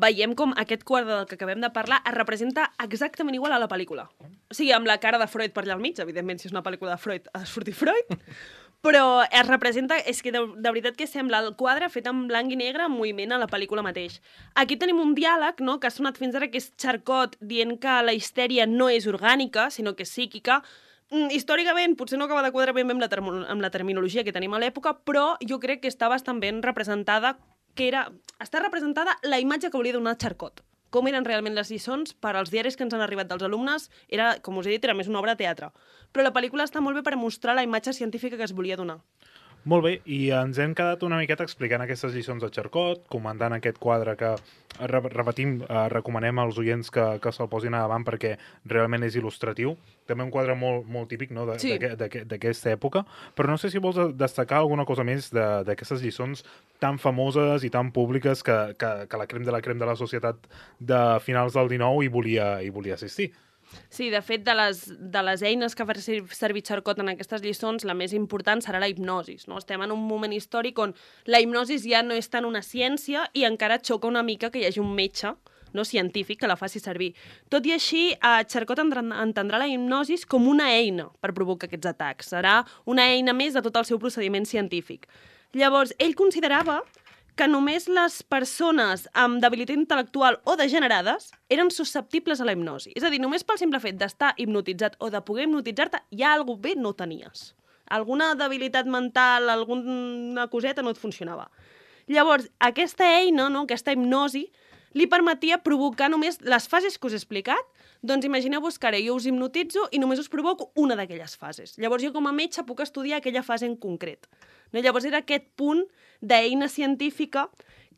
veiem com aquest quadre del que acabem de parlar es representa exactament igual a la pel·lícula. O sigui, amb la cara de Freud per allà al mig, evidentment, si és una pel·lícula de Freud, ha de sortir Freud, però es representa, és que de veritat que sembla el quadre fet en blanc i negre en moviment a la pel·lícula mateix. Aquí tenim un diàleg, no?, que ha sonat fins ara, que és Charcot dient que la histèria no és orgànica, sinó que és psíquica. Històricament potser no acaba de quadrar ben bé amb la terminologia que tenim a l'època, però jo crec que està bastant ben representada, està representada la imatge que volia donar Charcot. Com eren realment les lliçons, per als diaris que ens han arribat dels alumnes, era, com us he dit, era més una obra de teatre. Però la pel·lícula està molt bé per mostrar la imatge científica que es volia donar. Molt bé, i ens hem quedat una miqueta explicant aquestes lliçons de Charcot, comentant aquest quadre que, repetim, recomanem als oients que se'l posin a davant perquè realment és il·lustratiu. També un quadre molt típic, no?, d'aquesta època, però no sé si vols destacar alguna cosa més d'aquestes lliçons tan famoses i tan públiques que la crem de la societat de finals del 19 hi volia assistir. Sí, de fet, de les eines que fa servir Charcot en aquestes lliçons, la més important serà la hipnosis. No? Estem en un moment històric on la hipnosis ja no és tant una ciència i encara xoca una mica que hi hagi un metge, no, científic que la faci servir. Tot i així, Charcot entendrà la hipnosis com una eina per provocar aquests atacs. Serà una eina més de tot el seu procediment científic. Llavors, ell considerava que només les persones amb debilitat intel·lectual o degenerades eren susceptibles a la hipnosi. És a dir, només pel simple fet d'estar hipnotitzat o de poder hipnotitzar-te, ja alguna bé no tenies. Alguna debilitat mental, alguna coseta no et funcionava. Llavors, aquesta eina, no, aquesta hipnosi, li permetia provocar només les fases que us he explicat. Doncs imagineu-vos que ara jo us hipnotitzo i només us provoco una d'aquelles fases. Llavors jo com a metge puc estudiar aquella fase en concret. No? Llavors era aquest punt d'eina científica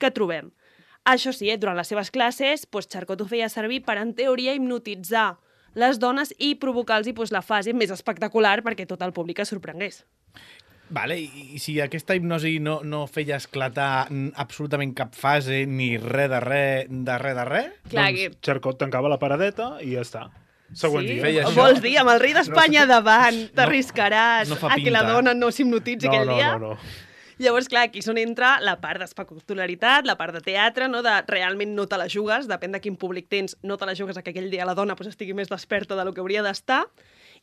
que trobem. Això sí, durant les seves classes, Charcot ho feia servir per, en teoria, hipnotitzar les dones i provocar-los la fase més espectacular perquè tot el públic es sorprengués. Vale, i si aquesta hipnosi no feia esclatar absolutament cap fase, ni res de res, Clar, doncs Charcot tancava la paradeta i ja està. Següent dia. Vols dir, amb el rei d'Espanya davant, t'arriscaràs a que la dona no s'hipnotitzi aquell dia? No. Llavors, clar, aquí és on entra la part d'espectacularitat, la part de teatre, no? De realment no te la jugues, depèn de quin públic tens, no te la jugues a que aquell dia la dona estigui més desperta del que hauria d'estar.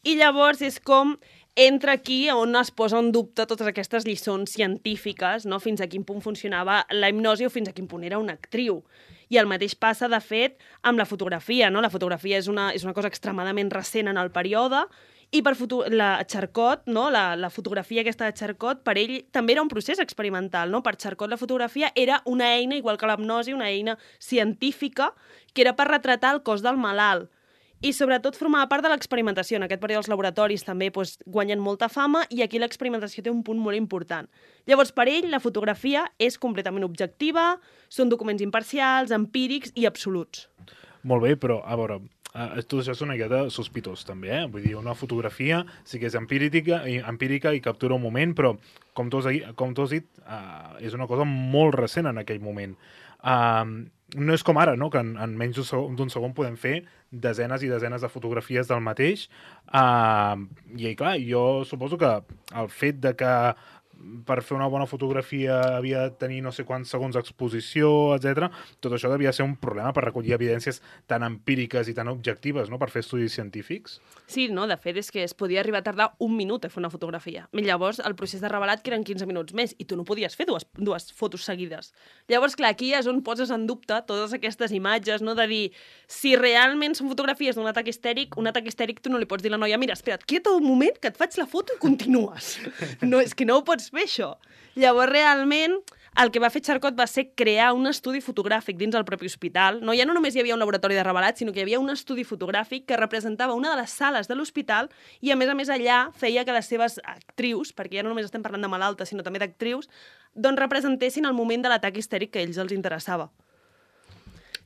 I llavors és com entra aquí on es posa en dubte totes aquestes lliçons científiques, no? Fins a quin punt funcionava la hipnosi o fins a quin punt era una actriu. I el mateix passa, de fet, amb la fotografia, no? La fotografia és una cosa extremadament recent en el període i per Charcot, no? La fotografia aquesta de Charcot, per ell també era un procés experimental. No? Per Charcot la fotografia era una eina, igual que l'hipnosi, una eina científica que era per retratar el cos del malalt. I sobretot formava part de l'experimentació. En aquest període els laboratoris també guanyen molta fama i aquí l'experimentació té un punt molt important. Llavors, per ell, la fotografia és completament objectiva, són documents imparcials, empírics i absoluts. Molt bé, però, a veure, tot això és una miqueta sospitós, també, Vull dir, una fotografia sí que és empírica i captura un moment, però, com tu has dit, és una cosa molt recent en aquell moment. No és com ara, no?, que en menys d'un segon podem fer desenes i desenes de fotografies del mateix. I, clar, jo suposo que el fet de que per fer una bona fotografia havia de tenir no sé quants segons d'exposició, etc. Tot això devia ser un problema per recollir evidències tan empíriques i tan objectives, no?, per fer estudis científics. Sí, no, de fet és que es podia arribar a tardar un minut a fer una fotografia. Llavors el procés de revelat que eren 15 minuts més i tu no podies fer dues fotos seguides. Llavors, clar, aquí és on poses en dubte totes aquestes imatges, no?, de dir, si realment són fotografies d'un atac histèric, un atac histèric tu no li pots dir a la noia, mira, espera't, quieta un moment que et faig la foto i continues. No, és que no ho pots fer, això. Llavors, realment, el que va fer Charcot va ser crear un estudi fotogràfic dins el propi hospital. No? Ja no només hi havia un laboratori de revelats, sinó que hi havia un estudi fotogràfic que representava una de les sales de l'hospital i, a més allà feia que les seves actrius, perquè ja no només estem parlant de malaltes, sinó també d'actrius, doncs representessin el moment de l'atac histèric que a ells els interessava.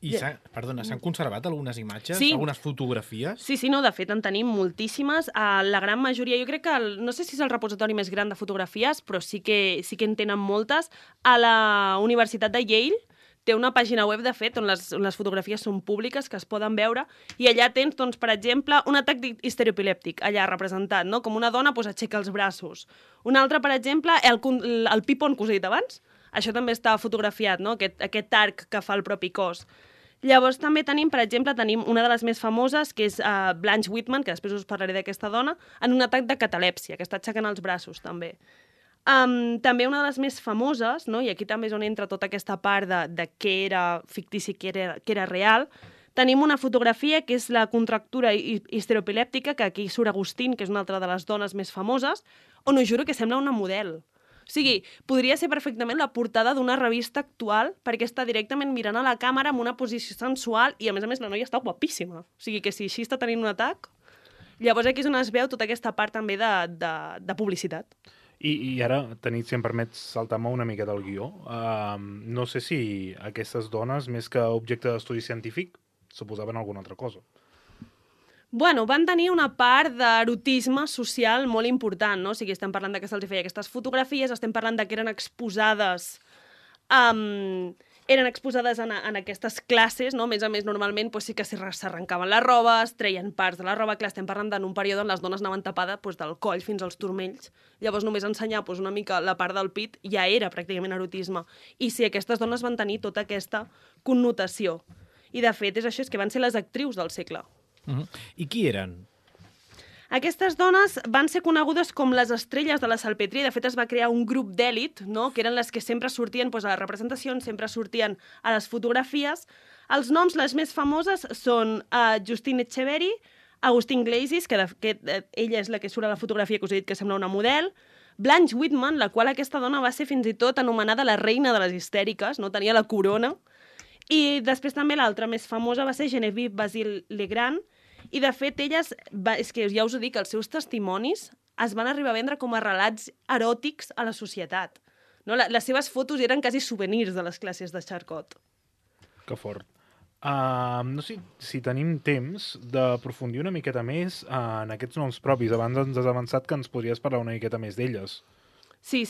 I s'han conservat algunes imatges, sí. Algunes fotografies? Sí, no, de fet en tenim moltíssimes. La gran majoria, jo crec que, no sé si és el repositori més gran de fotografies, però sí que en tenen moltes. A la Universitat de Yale té una pàgina web, de fet, on les fotografies són públiques, que es poden veure, i allà tens, doncs, per exemple, un atac histeroepilèptic, allà representat, no? Com una dona aixeca els braços. Un altre, per exemple, el pipon que us he dit abans, això també està fotografiat, no? Aquest arc que fa el propi cos. Llavors també tenim, per exemple, una de les més famoses, que és Blanche Whitman, que després us parlaré d'aquesta dona, en un atac de catalèpsia, que està aixecant els braços, també. També una de les més famoses, no? I aquí també és on entra tota aquesta part de què era fictici i què era real, tenim una fotografia que és la contractura histeroepilèptica, que aquí surt Agustín, que és una altra de les dones més famoses, on us juro que sembla una model. O sigui, podria ser perfectament la portada d'una revista actual perquè està directament mirant a la càmera amb una posició sensual i, a més, la noia està guapíssima. O sigui, que si així està tenint un atac... Llavors aquí és on es veu tota aquesta part també de publicitat. I ara, Tanit, si em permets saltar-me una mica del guió, no sé si aquestes dones, més que objecte d'estudi científic, suposaven alguna altra cosa. Bueno, van tenir una part d'erotisme social molt important, no? O sigui, estem parlant que se'ls feia aquestes fotografies, estem parlant que eren exposades en aquestes classes, no? A més, normalment sí que s'arrencaven les robes, treien parts de la roba, clar, estem parlant d'un període on les dones anaven tapades del coll fins als turmells. Llavors només ensenyar una mica la part del pit ja era pràcticament erotisme. I sí, aquestes dones van tenir tota aquesta connotació. I de fet, és això, és que van ser les actrius del segle. I qui eren? Aquestes dones van ser conegudes com les estrelles de la salpetria. De fet, es va crear un grup d'èlit, no? Que eren les que sempre sortien a les representacions, sempre sortien a les fotografies. Els noms, les més famoses, són Justine Etcheverry, Agustín Gleisis, que ella és la que surt a la fotografia que us he dit que sembla una model, Blanche Whitman, la qual aquesta dona va ser fins i tot anomenada la reina de les histèriques, no? Tenia la corona. I després també l'altra més famosa va ser Genevieve Basile Legrand, i de fet elles, és que ja us ho dic, els seus testimonis es van arribar a vendre com a relats eròtics a la societat. No? Les seves fotos eren quasi souvenirs de les classes de Charcot. Que fort. No sé si tenim temps d'aprofundir una miqueta més en aquests noms propis. Abans ens has avançat que ens podries parlar una miqueta més d'elles. Sí.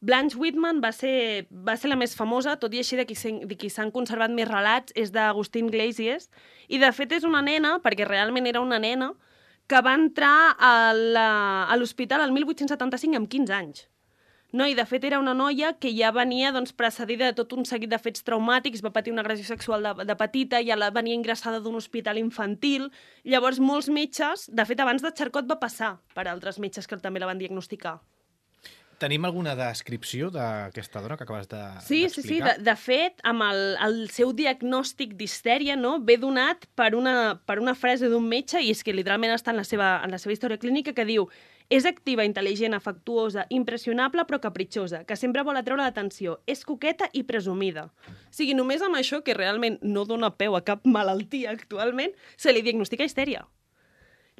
Blanche Whitman va ser la més famosa, tot i així de qui s'han conservat més relats és d'Agustín Gleisis, i de fet és una nena, perquè realment era una nena, que va entrar a l'hospital el 1875 amb 15 anys. No, i de fet era una noia que ja venia precedida de tot un seguit de fets traumàtics, va patir una agressió sexual de petita, ja venia ingressada d'un hospital infantil. Llavors molts metges, de fet abans de Charcot va passar per altres metges que també la van diagnosticar. Tenim alguna descripció d'aquesta dona que acabes d'explicar? Sí. De fet, amb el seu diagnòstic d'histèria, no, ve donat per una frase d'un metge, i és que literalment està en la seva història clínica, que diu: és activa, intel·ligent, afectuosa, impressionable però capritxosa, que sempre vol atreure l'atenció, és coqueta i presumida. O sigui, només amb això, que realment no dona peu a cap malaltia actualment, se li diagnostica histèria.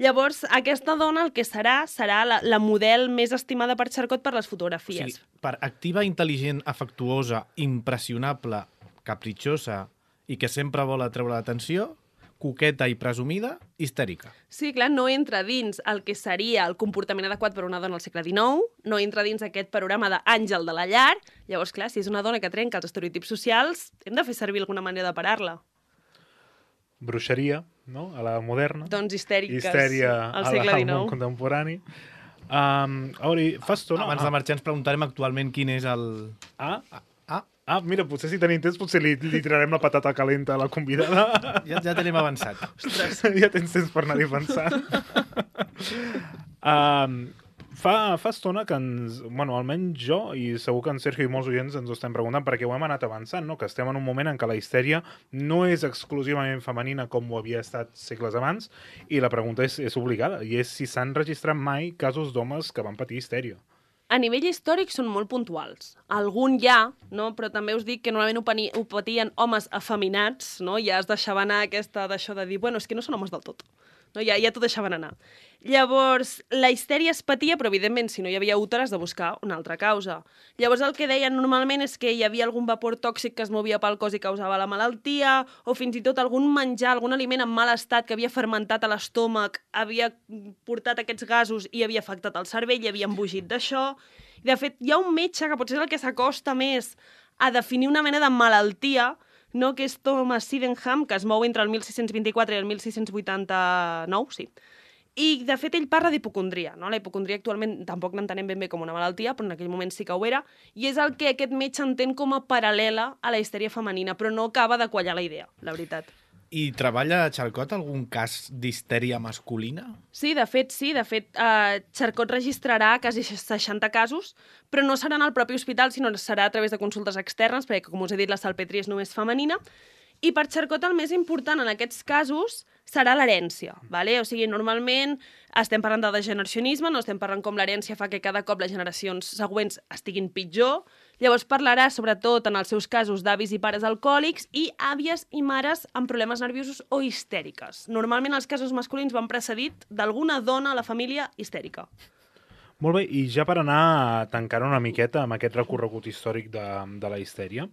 Llavors, aquesta dona el que serà la model més estimada per Charcot per les fotografies. O sigui, per activa, intel·ligent, afectuosa, impressionable, capritxosa i que sempre vol atreure l'atenció, coqueta i presumida, histèrica. Sí, clar, no entra dins el que seria el comportament adequat per una dona al segle XIX, no entra dins aquest panorama d'àngel de la llar. Llavors, clar, si és una dona que trenca els estereotips socials, hem de fer servir alguna manera de parar-la. Bruixeria, no?, a la moderna. Doncs histèriques Histèria al segle XIX. Al món contemporani. Fa estona... Abans de marxar ens preguntarem actualment quin és el... Mira, potser si tenim temps, potser li tirarem la patata calenta a la convidada. Ja tenim avançat. Ostres. Ja tens temps per anar-hi pensant. Fa estona que almenys jo, i segur que en Sergio i molts oients ens ho estem preguntant, perquè ho hem anat avançant, no? Que estem en un moment en què la histèria no és exclusivament femenina com ho havia estat segles abans, i la pregunta és obligada, i és si s'han registrat mai casos d'homes que van patir histèria. A nivell històric són molt puntuals. Algun ja, no? Però també us dic que normalment ho patien homes afeminats, no? Ja es deixava anar d'això de dir, bueno, és que no són homes del tot. No? Ja t'ho deixaven anar. Llavors, la histèria es patia, però evidentment, si no hi havia úter, has de buscar una altra causa. Llavors, el que deien normalment és que hi havia algun vapor tòxic que es movia pel cos i causava la malaltia, o fins i tot algun menjar, algun aliment en mal estat que havia fermentat a l'estómac, havia portat aquests gasos i havia afectat el cervell i havia embogit d'això. De fet, hi ha un metge que potser és el que s'acosta més a definir una mena de malaltia, no? Que és Thomas Sydenham, que es mou entre el 1624 i el 1689, sí. I, de fet, ell parla d'hipocondria. No? La hipocondria actualment tampoc l'entenem ben bé com una malaltia, però en aquell moment sí que ho era, i és el que aquest metge entén com a paral·lela a la histèria femenina, però no acaba de quallar la idea, la veritat. I treballa Charcot algun cas d'histèria masculina? Sí, de fet, sí. De fet, Charcot registrarà quasi 60 casos, però no serà en el propi hospital, sinó serà a través de consultes externes, perquè, com us he dit, la salpetria és només femenina. I per Charcot el més important en aquests casos serà l'herència. Vale? O sigui, normalment estem parlant de degeneracionisme, no estem parlant com l'herència fa que cada cop les generacions següents estiguin pitjor. Llavors parlarà sobretot en els seus casos d'avis i pares alcohòlics i àvies i mares amb problemes nerviosos o histèriques. Normalment els casos masculins van precedit d'alguna dona a la família histèrica. Molt bé, i ja per anar tancant una miqueta amb aquest recorregut històric de la histèria,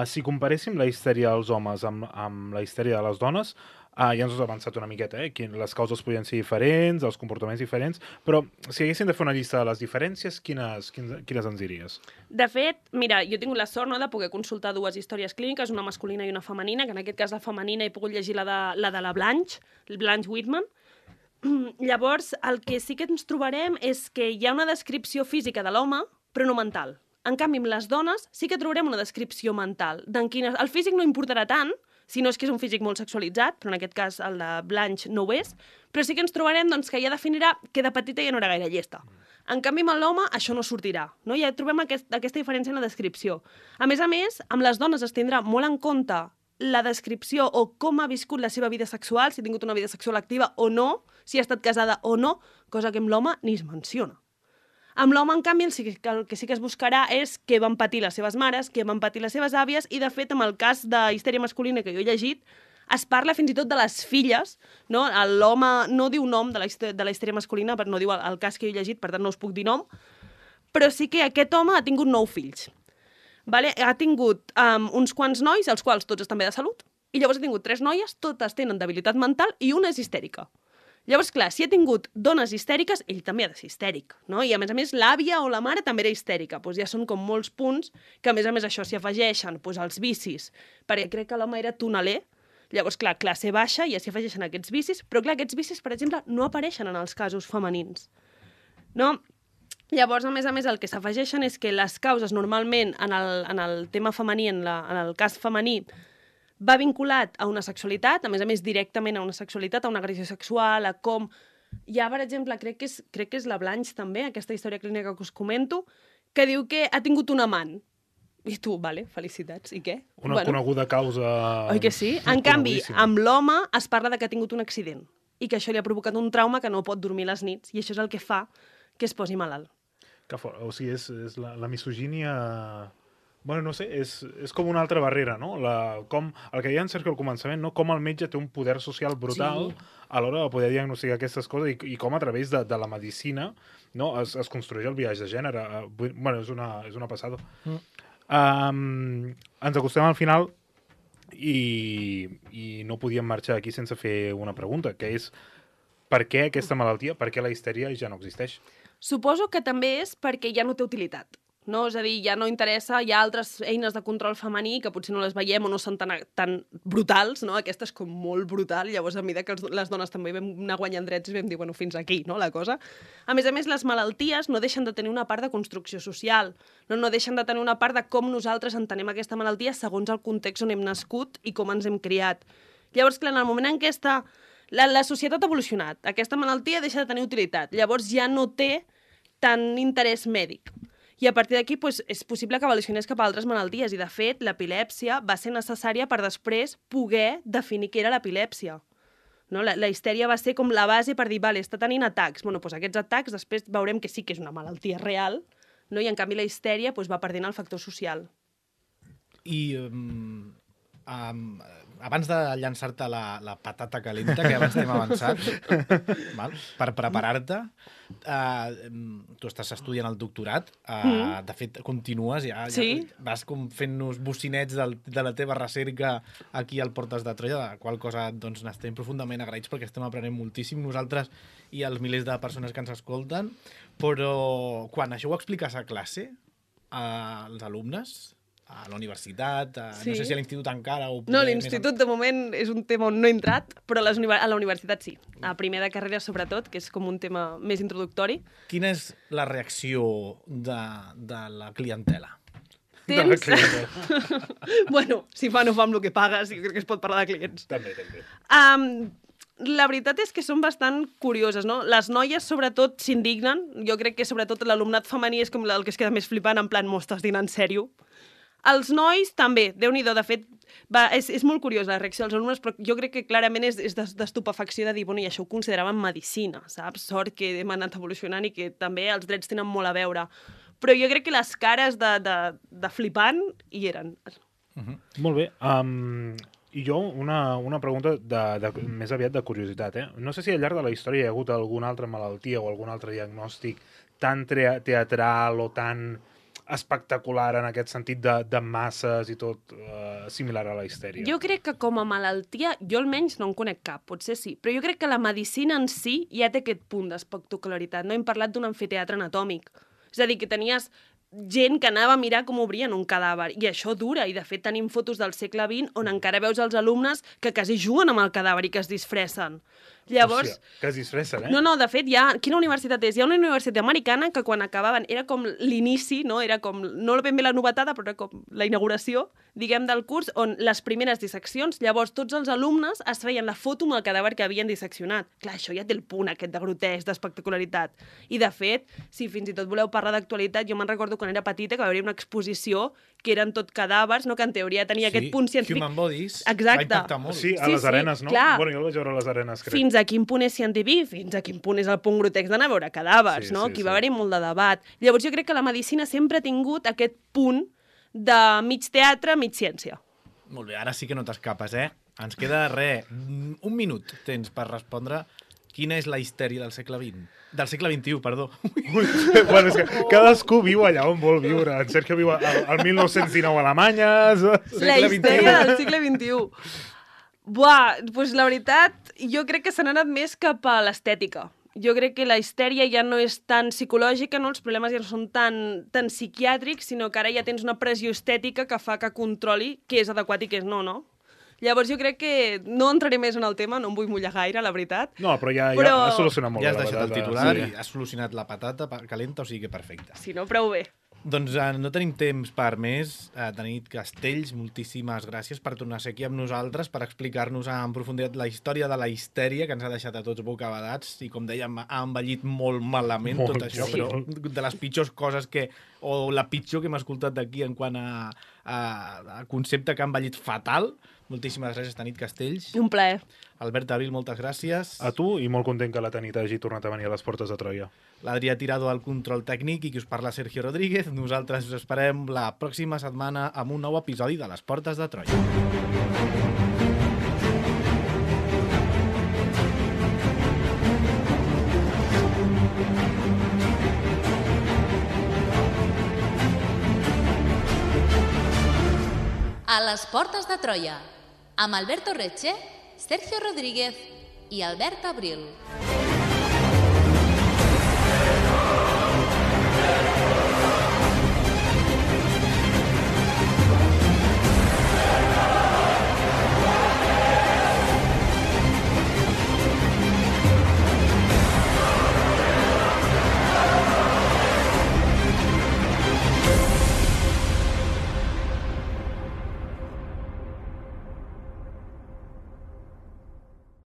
si comparéssim la histèria dels homes amb la histèria de les dones, ja ens has avançat una miqueta, les causes podien ser diferents, els comportaments diferents, però si haguéssim de fer una llista de les diferències, quines ens diries? De fet, mira, jo he tingut la sort de poder consultar dues històries clíniques, una masculina i una femenina, que en aquest cas la femenina he pogut llegir la de la Blanche Whitman. Llavors, el que sí que ens trobarem és que hi ha una descripció física de l'home, però no mental. En canvi, amb les dones sí que trobarem una descripció mental. El físic no importarà tant, si no és que és un físic molt sexualitzat, però en aquest cas el de Blanche no ho és, però sí que ens trobarem doncs, que ja definirà que de petita ja no era gaire llesta. En canvi, amb l'home això no sortirà. No? Ja trobem aquesta diferència en la descripció. A més, amb les dones es tindrà molt en compte la descripció o com ha viscut la seva vida sexual, si ha tingut una vida sexual activa o no, si ha estat casada o no, cosa que amb l'home ni es menciona. Amb l'home, en canvi, el que sí que es buscarà és què van patir les seves mares, què van patir les seves àvies, i, de fet, amb el cas de histèria masculina que jo he llegit, es parla fins i tot de les filles, no? L'home no diu nom de la histèria masculina, però no diu el cas que jo he llegit, per tant no us puc dir nom, però sí que aquest home ha tingut 9 fills. Vale? Ha tingut uns quants nois, els quals tots estan bé de salut, i llavors ha tingut 3 noies, totes tenen debilitat mental, i una és histèrica. Llavors, clar, si ha tingut dones histèriques, ell també ha de ser histèric, no? I, a més, l'àvia o la mare també era histèrica. Doncs ja són com molts punts que, a més, això s'hi afegeixen els vicis, perquè crec que l'home era tonaler. Llavors, clar, classe baixa, ja s'hi afegeixen aquests vicis, però, clar, aquests vicis, per exemple, no apareixen en els casos femenins, no? Llavors, a més, el que s'afegeixen és que les causes, normalment, en el tema femení, en el cas femení, va vinculat a una sexualitat, a més, directament a una sexualitat, a una agressió sexual, a com... Ja, per exemple, crec que és la Blanche, també, aquesta història clínica que us comento, que diu que ha tingut un amant. I tu, vale, felicitats, i què? Una coneguda causa... Oi que sí? En canvi, amb l'home es parla de que ha tingut un accident i que això li ha provocat un trauma que no pot dormir les nits, i això és el que fa que es posi malalt. Que fort. O sigui, és la misogínia... Bueno, no sé, és com una altra barrera, no? Com el que deia en Sergio al començament, no? Com el metge té un poder social brutal a l'hora de poder diagnosticar aquestes coses i com a través de la medicina, no? es construeix el biaix de gènere. Bueno, és una passada. Ens acostem al final i no podíem marxar aquí sense fer una pregunta, que és per què aquesta malaltia, per què la histèria ja no existeix? Suposo que també és perquè ja no té utilitat. No? És a dir, ja no interessa, hi ha altres eines de control femení que potser no les veiem o no són tan brutals, no? Aquesta és com molt brutal, llavors a mesura que les dones també vam anar guanyant drets i vam dir, bueno, fins aquí, no?, la cosa. A més, les malalties no deixen de tenir una part de construcció social, no deixen de tenir una part de com nosaltres entenem aquesta malaltia segons el context on hem nascut i com ens hem criat. Llavors, clar, en el moment en què la societat ha evolucionat, aquesta malaltia deixa de tenir utilitat, llavors ja no té tant interès mèdic. I a partir d'aquí és possible que evolucionés cap a altres malalties. I, de fet, l'epilèpsia va ser necessària per després poder definir què era l'epilèpsia. No? La histèria va ser com la base per dir, vale, està tenint atacs. Bueno, doncs aquests atacs després veurem que sí que és una malaltia real, no? I en canvi la histèria va perdent el factor social. I abans de llançar-te la patata calenta, que abans t'hem avançat, val? Per preparar-te, tu estàs estudiant el doctorat, de fet, continues, ja vas com fent-nos bocinets de la teva recerca aquí al Portes de Troia, de la qual cosa doncs, n'estem profundament agraïts perquè estem aprenent moltíssim nosaltres i els milers de persones que ens escolten, però quan això ho expliques a classe, als alumnes, a la universitat, no sé si a l'institut encara... No, l'institut de moment és un tema on no he entrat, però a la universitat sí. A primer de carrera sobretot, que és com un tema més introductori. Quina és la reacció de la clientela? Tens... Bueno, si fa no fa amb el que pagues, jo crec que es pot parlar de clients. També. La veritat és que són bastant curioses, no? Les noies, sobretot, s'indignen. Jo crec que, sobretot, l'alumnat femení és com el que es queda més flipant, en plan, m'estàs dient en sèrio? Els nois, també, Déu-n'hi-do, de fet, és molt curiós la reacció dels alumnes, però jo crec que clarament és d'estupefacció de dir, bueno, i això ho consideraven medicina, saps? Sort que hem anat evolucionant i que també els drets tenen molt a veure. Però jo crec que les cares de flipant hi eren. Molt bé. I jo, una pregunta més aviat de curiositat. No sé si al llarg de la història hi ha hagut alguna altra malaltia o algun altre diagnòstic tan teatral o tan espectacular en aquest sentit de masses i tot similar a la histèria. Jo crec que com a malaltia, jo almenys no en conec cap, potser sí, però jo crec que la medicina en si ja té aquest punt d'espectacularitat. No hem parlat d'un amfiteatre anatòmic. És a dir, que tenies gent que anava a mirar com obrien un cadàver, i això dura, i de fet tenim fotos del segle XX on encara veus els alumnes que quasi juguen amb el cadàver i que es disfressen. Llavors... Hòstia, que es disfressen, eh? No, de fet, quina universitat és? Hi ha una universitat americana que quan acabaven era com l'inici, no? Era com, no ben bé la novetada, però era com la inauguració, diguem, del curs, on les primeres disseccions, llavors tots els alumnes es feien la foto amb el cadàver que havien disseccionat. Clar, això ja té el punt aquest de grotesc, d'espectacularitat. I, de fet, si fins i tot voleu parlar d'actualitat, jo me'n recordo quan era petita que va haver una exposició que eren tot cadàvers, no? Que en teoria tenia aquest punt científic. Human Bodies. Exacte. Va impactar molt. Sí, a les arenes, no? Clar. Bueno, jo el vaig veure a les arenes, crec. Fins a quin punt és científic, fins a quin punt és el punt grotesc d'anar a veure cadàvers, no? Aquí va haver-hi molt de debat. Llavors jo crec que la medicina sempre ha tingut aquest punt de mig teatre, mig ciència. Molt bé, ara sí que no t'escapes, eh? Ens queda un minut tens per respondre quina és la histèria del segle XX. Del segle XXI, perdó. Bueno, és que cadascú viu allà on vol viure. En Sergio viu al 1919 a Alemanya... La histèria del segle XXI. Buah, doncs la veritat, jo crec que s'han anat més cap a l'estètica. Jo crec que la histèria ja no és tan psicològica, no? Els problemes ja no són tan psiquiàtrics, sinó que ara ja tens una pressió estètica que fa que controli què és adequat i què és no, no? Llavors jo crec que no entraré més en el tema, no em vull mullar gaire, la veritat. No, però ja has solucionat molt bé la patata. Ja has deixat el titular i has solucionat la patata calenta, o sigui que perfecte. Si no, prou bé. Doncs no tenim temps per més. Tanit Castells, moltíssimes gràcies per tornar a ser aquí amb nosaltres, per explicar-nos en profunditat la història de la histèria, que ens ha deixat a tots bocabadats, i com dèiem, ha envellit molt malament tot això, però de les pitjors coses o la pitjor que hem escoltat d'aquí en quant a concepte que ha envellit fatal. Moltíssimes gràcies, Tanit Castells. Un plaer. Albert Abril, moltes gràcies. A tu, i molt content que la Tanit hagi tornat a venir a les Portes de Troia. L'Adrià Tirado al control tècnic i qui us parla Sergio Rodríguez. Nosaltres us esperem la pròxima setmana amb un nou episodi de les Portes de Troia. A les Portes de Troia, amb Alberto Reche, Sergio Rodríguez i Albert Abril.